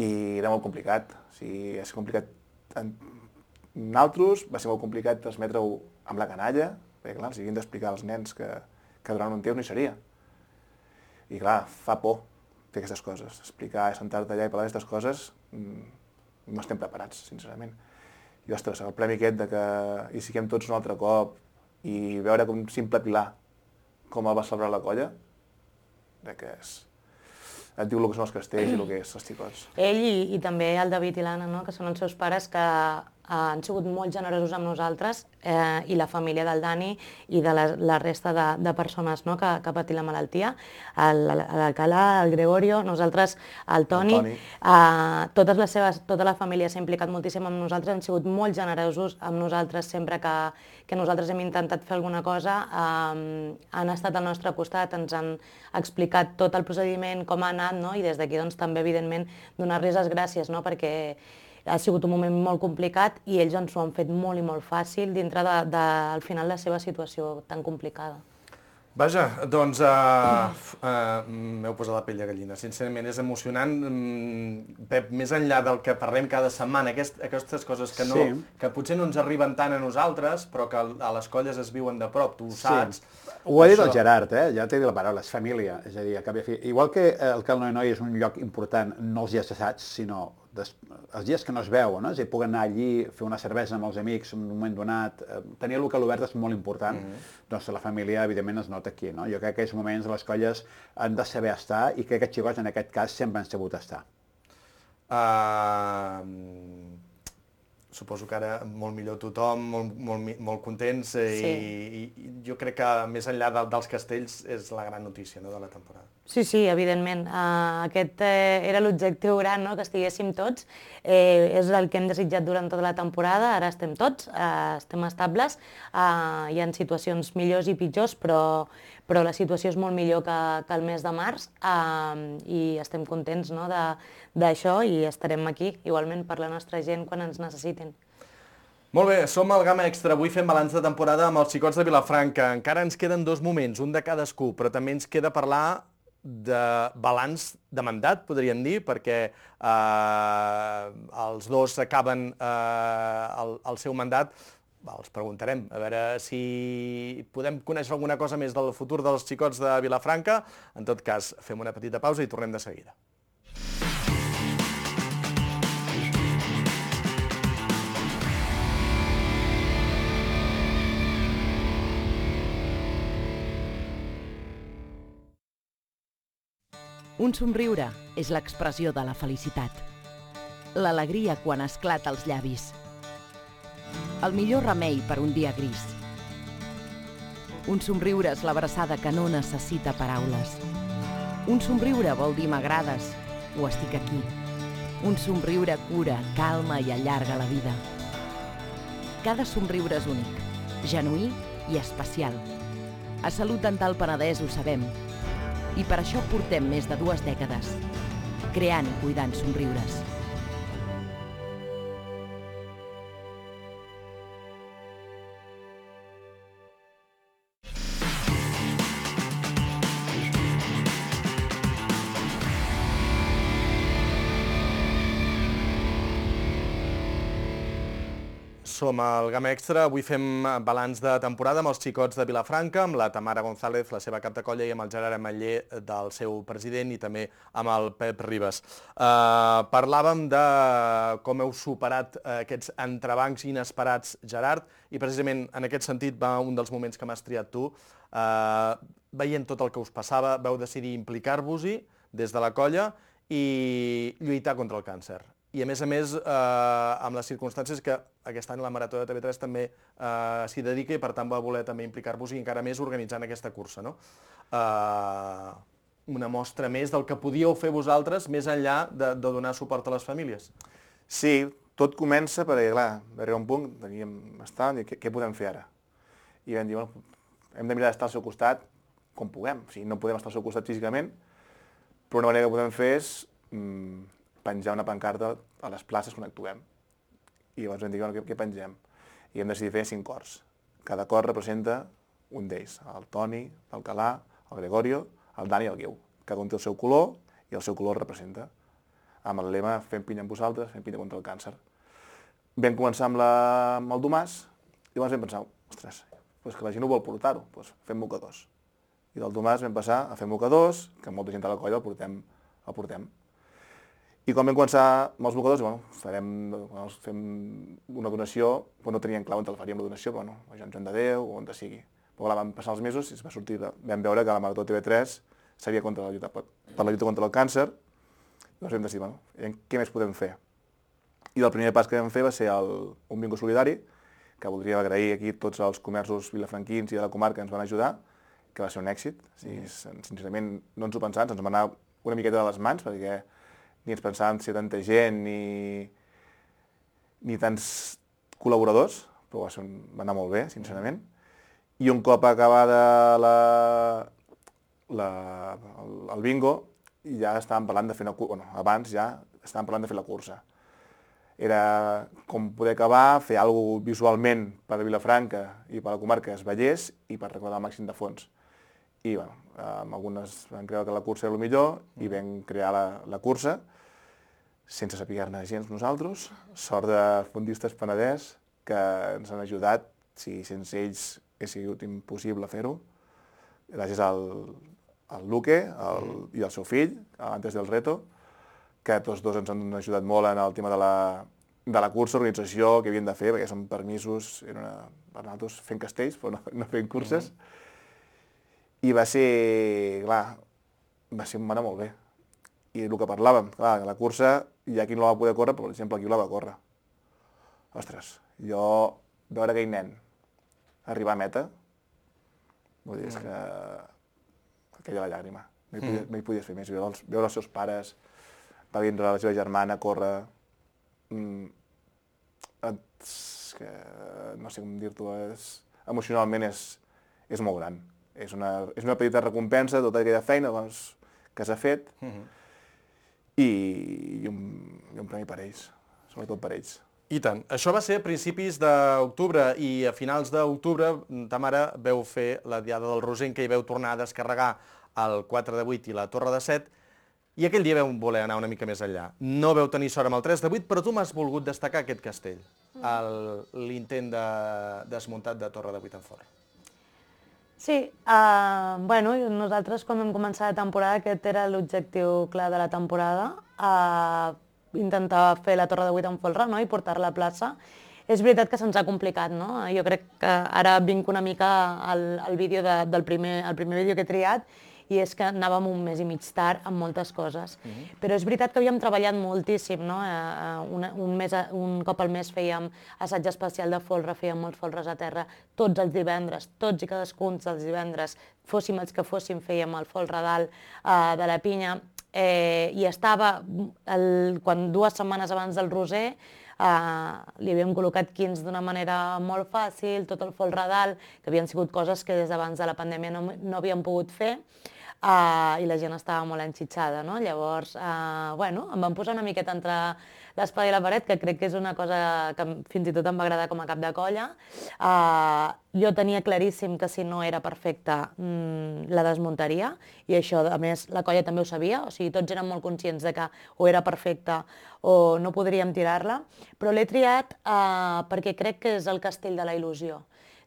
K: I era molt complicat, o sigui, és complicat. En nosaltres va ser molt complicat transmetre-ho amb la canalla, perquè clar, els havien d'explicar als nens que, que durant un temps no hi seria. I clar, fa por fer aquestes coses, explicar, sentar-te allà i parlar d'aquestes coses, no estem preparats, sincerament. I ostres, el premi aquest de que hi siguem tots un altre cop i veure com un simple pilar com el va celebrar la colla, crec que és... Et diu el que són els castells i el que és els xicots.
J: Ell i, i també el David i l'Anna, no? Que són els seus pares, que eh, han sigut molt generosos amb nosaltres, eh, i la família del Dani i de la, la resta de, de persones, no? que, que ha patit la malaltia, l'Alcalà, el Gregorio, nosaltres, el Toni,
K: el Toni.
J: Eh, totes les seves, tota la família s'ha implicat moltíssim amb nosaltres, han sigut molt generosos amb nosaltres sempre que, que nosaltres hem intentat fer alguna cosa, eh, han estat al nostre costat, ens han explicat tot el procediment, com ha anat, no? I des d'aquí doncs, també, evidentment, donar-los les gràcies, no? Perquè ha sigut un moment molt complicat i ells ens ho han fet molt i molt fàcil dintre de, de, al final de la seva situació tan complicada.
I: Vaja, doncs uh, uh, m'heu posat la pell de gallina. Sincerament, és emocionant. Pep, més enllà del que parlem cada setmana, aquest, aquestes coses que, no, sí. que potser no ens arriben tant a nosaltres, però que a les colles es viuen de prop, tu ho saps.
L: Sí. Ho ha dit el Gerard, eh? Ja t'he dit la paraula, és família. És a dir, a cap i a fi. Igual que el Cal Noi Noi és un lloc important, no els dies d'assaig, sinó des, els dies que no es veuen, no? És a dir, puc anar allí, fer una cervesa amb els amics en un moment donat, eh, tenir el local obert és molt important, mm-hmm. Doncs la família, evidentment, es nota aquí, no? Jo crec que aquests moments les colles han de saber estar i crec que els xicots, en aquest cas, sempre han sabut estar.
I: Uh, suposo que ara molt millor tothom, molt, molt, molt contents, eh, sí. i, i jo crec que més enllà de, dels castells és la gran notícia, no?, de la temporada.
J: Sí, sí, evidentment. Uh, aquest eh, era l'objectiu gran, no?, que estiguéssim tots. Eh, és el que hem desitjat durant tota la temporada. Ara estem tots, uh, estem estables. Uh, hi ha situacions millors i pitjors, però, però la situació és molt millor que, que el mes de març, uh, i estem contents, no?, d'això, i estarem aquí, igualment, per la nostra gent quan ens necessitin.
I: Molt bé, som al Gamma Extra. Avui fem balanç de temporada amb els xicots de Vilafranca. Encara ens queden dos moments, un de cadascú, però també ens queda parlar de balanç de mandat, podríem dir, perquè eh, els dos acaben eh, el, el seu mandat. Va, els preguntarem, a veure si podem conèixer alguna cosa més del futur dels xicots de Vilafranca. En tot cas, fem una petita pausa i tornem de seguida.
M: Un somriure és l'expressió de la felicitat. L'alegria quan esclata als llavis. El millor remei per un dia gris. Un somriure és l'abraçada que no necessita paraules. Un somriure vol dir m'agrades o estic aquí. Un somriure cura, calma i allarga la vida. Cada somriure és únic, genuí i especial. A Salut Dental Penedès ho sabem. I per això portem més de dues dècades, creant i cuidant somriures.
I: Som al Gamma Extra, avui fem balanç de temporada amb els xicots de Vilafranca, amb la Tamara González, la seva cap de colla, i amb el Gerard Ametller, del seu president, i també amb el Pep Ribas. Uh, parlàvem de com heu superat uh, aquests entrebancs inesperats, Gerard, i precisament en aquest sentit va un dels moments que m'has triat tu. Uh, veient tot el que us passava, vau decidir implicar-vos-hi des de la colla i lluitar contra el càncer. I a més a més, eh, amb les circumstàncies que aquest any la Marató de T V tres també eh, s'hi dedica i per tant va voler també implicar-vos i encara més organitzant aquesta cursa, no? Eh, una mostra més del que podíeu fer vosaltres més enllà de, de donar suport a les famílies.
K: Sí, tot comença perquè, clar, va arribar un punt, teníem bastant, i què, què podem fer ara? I vam dir, bueno, hem de mirar d'estar al seu costat com puguem. O sigui, no podem estar al seu costat físicament, però una manera que podem fer és mmm, penjar una pancarta a les places quan actuem. I llavors vam dir, bueno, què, què pengem? I hem decidit fer cinc cors. Cada cor representa un d'ells, el Toni, l'Alcalà, el Gregorio, el Dani i el Guiu. Cada un té el seu color i el seu color el representa. Amb el lema fem pinya amb vosaltres, fem pinya contra el càncer. Vam començar amb, la, amb el Domàs i llavors vam pensar, ostres, doncs que la gent no vol portar-ho, doncs fem mocadors. I del Domàs vam passar a fer mocadors, que molta gent a la colla el portem. El portem. I quan vam començar amb els mocadors, bueno, farem, bueno, fem una donació, però no teníem clar on el faríem la donació, però bueno, a Sant Joan de Déu o on sigui. Però clar, van passar els mesos i es va sortir, vam veure que la Marató T V tres seria contra la lluita, per la lluita contra el càncer. Llavors vam decidir, bueno, què més podem fer? I el primer pas que vam fer va ser el, un bingo solidari, que voldríem agrair aquí tots els comerços vilafranquins i de la comarca que ens van ajudar, que va ser un èxit. O sigui, sincerament, no ens ho pensàvem, ens va anar una miqueta de les mans, perquè ni ens pensàvem ser tanta gent ni, ni tants col·laboradors, però va, ser un, va anar molt bé, sincerament. I un cop acabada la, la, el, el bingo, ja estàvem parlant de fer una cursa, bueno, abans ja estàvem parlant de fer la cursa. Era com poder acabar, fer alguna cosa visualment per a Vilafranca i per a la comarca es veiés i per recordar el màxim de fons. I bueno, amb algunes vam creure que la cursa era el millor i vam crear la, la cursa sense saber-ne gens nosaltres. Sort de Fondistes Penedès, que ens han ajudat, si sense ells ha sigut impossible fer-ho, gràcies al, al Luque el, i al seu fill, Antes del Reto, que tots dos ens han ajudat molt en el tema de la, de la cursa, organització, que havien de fer, perquè són permisos, era una, per nosaltres fent castells, però no, no fent curses. I va ser, clar, va ser, va anar molt bé. I el que parlàvem, clar, la cursa hi ha qui no la va poder córrer, però per exemple aquí la va córrer. Ostres, jo veure aquell nen arribar a meta, vull dir, és que aquella la llàgrima, no hi podies, no hi podies fer més, veure els, veure els seus pares, va vindre la seva germana a córrer, mm, és que no sé com dir-t'ho, emocionalment és, és molt gran. És una, és una petita recompensa de tota aquella feina doncs, que s'ha fet uh-huh. i, i, un, i un premi per ells, sobretot per ells.
I: I tant. Això va ser a principis d'octubre i a finals d'octubre ta mare veu fer la Diada del Roser, en què hi veu tornar a descarregar el quatre de vuit i la Torre de set, i aquell dia veu voler anar una mica més enllà. No veu tenir sort amb el tres de vuit, però tu m'has volgut destacar aquest castell, l'intent de desmuntat de Torre de vuit en Forn.
J: Sí, uh, bueno, nosaltres quan vam començar la temporada aquest era l'objectiu clar de la temporada, uh, intentar fer la Torre de vuit en folre, no?, i portar-la a plaça. És veritat que se'ns ha complicat, no? Jo crec que ara vinc una mica al, al vídeo de, del primer, el primer vídeo que he triat, i és que anàvem un mes i mig tard amb moltes coses. Uh-huh. Però és veritat que havíem treballat moltíssim, no? Una, un, mes, un cop al mes fèiem assaig especial de folre, fèiem molts folres a terra, tots els divendres, tots i cadascun dels divendres, fóssim els que fóssim, fèiem el folre dalt uh, de la pinya, eh, i estava, el, quan dues setmanes abans del Roser, Uh, li havíem col·locat quins d'una manera molt fàcil, tot el folre dalt, que havien sigut coses que des d'abans de la pandèmia no, no havíem pogut fer, uh, i la gent estava molt enxitxada, no? Llavors, uh, bueno, em van posar una miqueta entre l'espada i la paret, que crec que és una cosa que fins i tot em va agradar com a cap de colla. Uh, jo tenia claríssim que si no era perfecta mmm, la desmuntaria, i això, a més, la colla també ho sabia, o sigui, tots eren molt conscients de que o era perfecta o no podríem tirar-la, però l'he triat uh, perquè crec que és el castell de la il·lusió.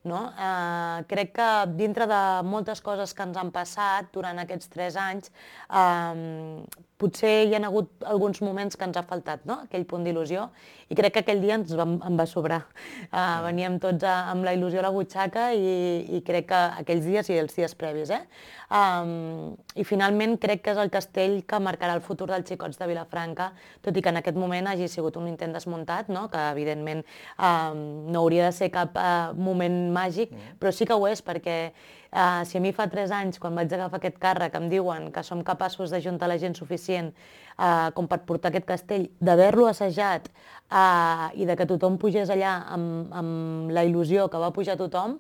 J: No? Eh, crec que dintre de moltes coses que ens han passat durant aquests tres anys, eh, potser hi ha hagut alguns moments que ens ha faltat, no? Aquell punt d'il·lusió, i crec que aquell dia ens va, em va sobrar. Eh, veníem tots a, amb la il·lusió a la butxaca i, i crec que aquells dies i els dies previs. Eh? Um, I finalment crec que és el castell que marcarà el futur dels xicots de Vilafranca, tot i que en aquest moment hagi sigut un intent desmuntat, no? Que evidentment um, no hauria de ser cap uh, moment màgic, mm. però sí que ho és, perquè uh, si a mi fa tres anys, quan vaig agafar aquest càrrec, em diuen que som capaços d'ajuntar la gent suficient uh, com per portar aquest castell, d'haver-lo assajat uh, i de que tothom pugés allà amb, amb la il·lusió que va pujar tothom,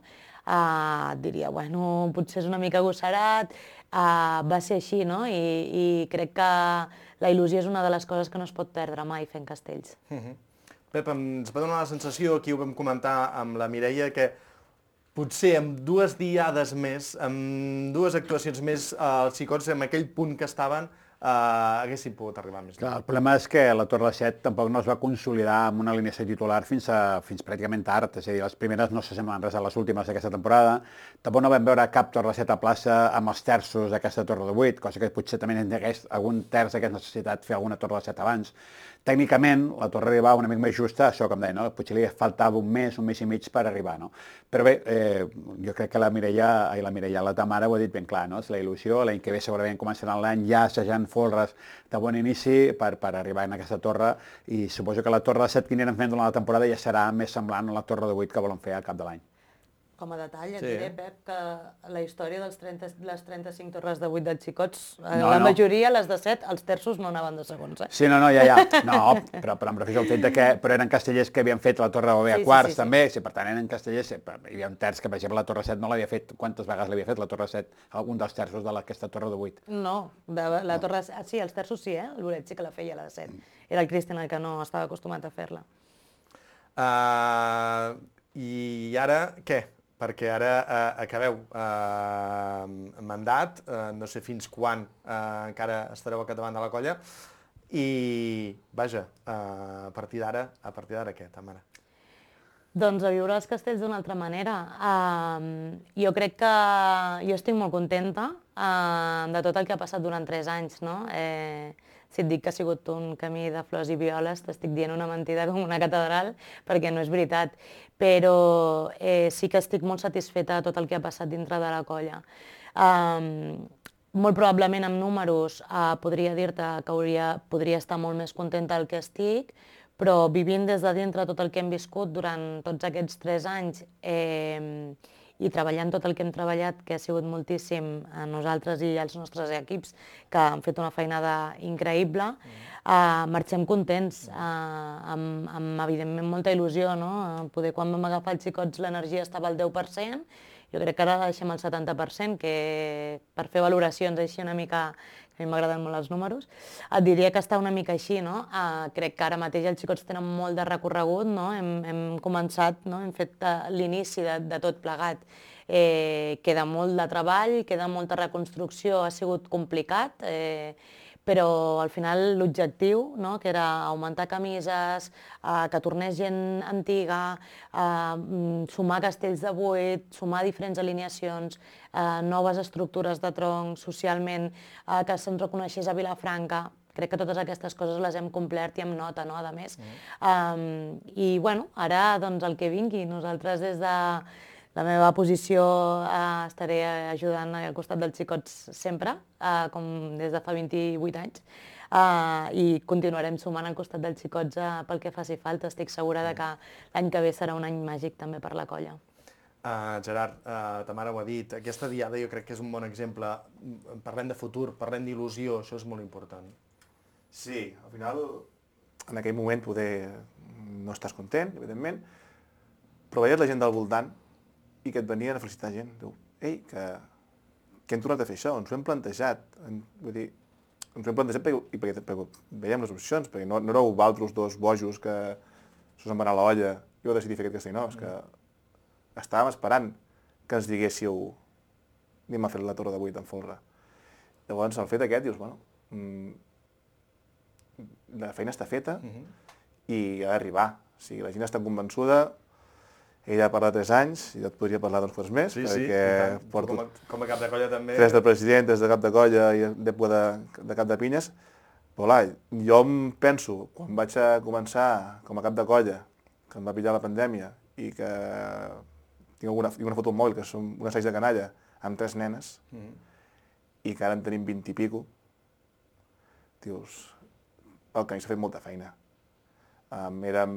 J: uh, diria, bueno, potser és una mica agosserat, uh, va ser així, no? I, i crec que la il·lusió és una de les coses que no es pot perdre mai fent castells.
I: Mm-hmm. Pep, ens va donar la sensació, aquí ho vam comentar amb la Mireia, que potser amb dues diades més, amb dues actuacions més, els xicots en aquell punt que estaven, eh, haguessin pogut arribar més.
L: Clar, el problema és que la Torre de set tampoc no es va consolidar amb una alineació titular fins, a, fins pràcticament tard, és a dir, les primeres no s'assemblen res a les últimes d'aquesta temporada, tampoc no vam veure cap Torre de set a plaça amb els terços d'aquesta Torre de vuit, cosa que potser també en hagués algun terç hagués necessitat fer alguna Torre de set abans. Tècnicament, la torre arribava una mica més justa, això com deia, no? Potser li faltava un mes, un mes i mig per arribar, no? Però bé, eh, jo crec que la Mireia, ai, la Mireia, la Tamara ho ha dit ben clar, no? És la il·lusió, l'any que ve segurament començarà l'any ja assajant folres de bon inici per, per arribar en aquesta torre, i suposo que la torre de set que anirem fent durant la temporada ja serà més semblant a la torre de vuit que volen fer al cap de l'any.
J: Com a detall, et
L: Sí.
J: diré, Pep, que la història dels trenta, les trenta-cinc torres de vuit dels xicots, eh,
L: No,
J: la
L: no.
J: majoria, les de set, els terços no anaven de segons, eh?
L: Sí, no, no, ja, ja. No, però, però em refereixo al fet de que però eren castellers que havien fet la torre de Bové a
J: Sí, sí,
L: quarts,
J: sí, sí.
L: també, sí, per tant eren castellers, sí, però hi havia un terç que, per exemple, la torre set no l'havia fet, quantes vegades l'havia fet la torre set, algun dels terços d'aquesta torre de vuit.
J: No, de, la torre... Ah, sí, els terços sí, eh? L'Oret sí que la feia, la de set. Era el Cristian el que no estava acostumat a fer-la.
I: Uh, I ara, què? Perquè ara uh, acabeu uh, mandat, uh, no sé fins quan uh, encara estareu al capdavant de la colla, i, vaja, uh, a partir d'ara, a partir d'ara què, Tamara?
J: Doncs a viure els castells d'una altra manera. Uh, jo crec que jo estic molt contenta uh, de tot el que ha passat durant tres anys, no? Eh, si et dic que ha sigut un camí de flors i violes, t'estic dient una mentida com una catedral, perquè no és veritat. Però eh, sí que estic molt satisfeta de tot el que ha passat dintre de la colla. Um, molt probablement amb números uh, podria dir-te que hauria, podria estar molt més contenta del que estic, però vivint des de dintre tot el que hem viscut durant tots aquests tres anys eh, i treballant tot el que hem treballat, que ha sigut moltíssim a nosaltres i als nostres equips, que han fet una feinada increïble, eh, marxem contents, eh, amb, amb evidentment molta il·lusió, no? Poder, quan vam agafar els xicots l'energia estava al deu per cent, jo crec que ara la deixem al setanta per cent, que per fer valoracions així una mica, que a mi m'agraden molt els números, et diria que està una mica així, no? Uh, crec que ara mateix els xicots tenen molt de recorregut, no? Hem, hem començat, no? Hem fet uh, l'inici de, de tot plegat. Eh, queda molt de treball, queda molta reconstrucció, ha sigut complicat, eh, però al final l'objectiu, no? Que era augmentar camises, eh, que tornés gent antiga, eh, sumar castells de vuit, sumar diferents alineacions, eh, noves estructures de tronc socialment, eh, que se'ns reconeixés a Vilafranca. Crec que totes aquestes coses les hem complert i amb nota, no?, a més. Mm. Um, I, bueno, ara, doncs, el que vingui. Nosaltres, des de la meva posició, eh, estaré ajudant al costat dels xicots sempre, eh, com des de fa vint-i-vuit anys, eh, i continuarem sumant al costat dels xicots eh, pel que faci falta. Estic segura de que l'any que ve serà un any màgic també per la colla.
I: Uh, Gerard, uh, Tamara ho ha dit, aquesta diada jo crec que és un bon exemple. Parlem de futur, parlem d'il·lusió, això és molt important.
K: Sí, al final, en aquell moment poder no estàs content, evidentment, però veies la gent del voltant i que et venien a felicitar gent. Diu, ei, que, que hem tornat a fer això, ens ho hem plantejat. En, vull dir, ens ho hem plantejat perquè, i perquè, perquè veiem les opcions, perquè no, no éreu vosaltres dos bojos que s'us en va anar a l'olla i vau decidir fer aquest castell, no, és que estàvem esperant que ens diguéssiu anem a fer la torre de vuit en folre. Llavors, el fet aquest, dius, bueno, mmm, la feina està feta i ha d'arribar. O sigui, la gent està convençuda. Ella ha parlat tres anys, i jo et podria parlar d'uns quants més,
I: sí,
K: perquè
I: sí,
K: porto
I: com a, com a cap de colla també.
K: Tres de president, tres de cap de colla i d'època de, de cap de pinyes. Però clar, jo em penso, quan vaig a començar com a cap de colla, que em va pillar la pandèmia i que tinc alguna, tinc una foto al mòbil, que som un assaig de canalla, amb tres nenes, mm-hmm. i que ara en tenim vint i pico, dius, el camí s'ha fet molta feina. Um, érem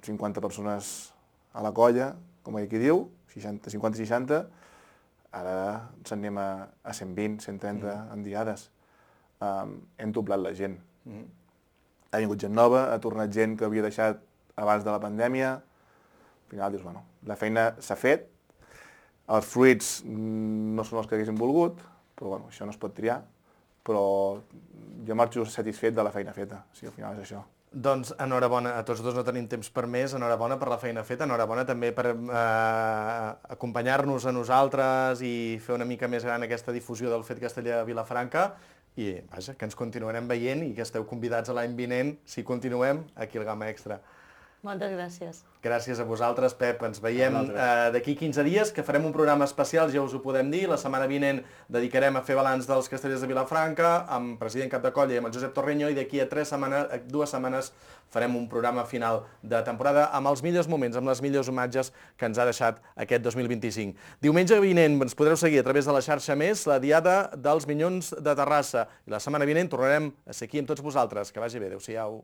K: cinquanta persones a la colla, com aquí diu, seixanta, cinquanta seixanta, ara ens anem a, a cent vint, cent trenta mm. en diades. Um, hem doblat la gent. Mm. Ha vingut gent nova, ha tornat gent que havia deixat abans de la pandèmia. Al final dius, bueno, la feina s'ha fet, els fruits no són els que haguéssim volgut, però bueno, això no es pot triar, però jo marxo satisfet de la feina feta, o sigui, al final és això.
I: Doncs enhorabona, a tots dos no tenim temps per més, enhorabona per la feina feta, enhorabona també per eh, acompanyar-nos a nosaltres i fer una mica més gran aquesta difusió del Fet Castellà a Vilafranca i, vaja, que ens continuarem veient i que esteu convidats a l'any vinent, si continuem, aquí al Gamma Extra.
J: Moltes gràcies.
I: Gràcies a vosaltres, Pep. Ens veiem eh, d'aquí quinze dies, que farem un programa especial, ja us ho podem dir. La setmana vinent dedicarem a fer balanç dels Castellers de Vilafranca, amb president Cap de Colla i amb el Josep Torreño, i d'aquí a tres setmanes, dues setmanes farem un programa final de temporada amb els millors moments, amb les millors imatges que ens ha deixat aquest dos mil vint-i-cinc. Diumenge vinent ens podreu seguir a través de la xarxa Més, la Diada dels Minyons de Terrassa. I la setmana vinent tornarem a ser aquí amb tots vosaltres. Que vagi bé. Adéu-siau.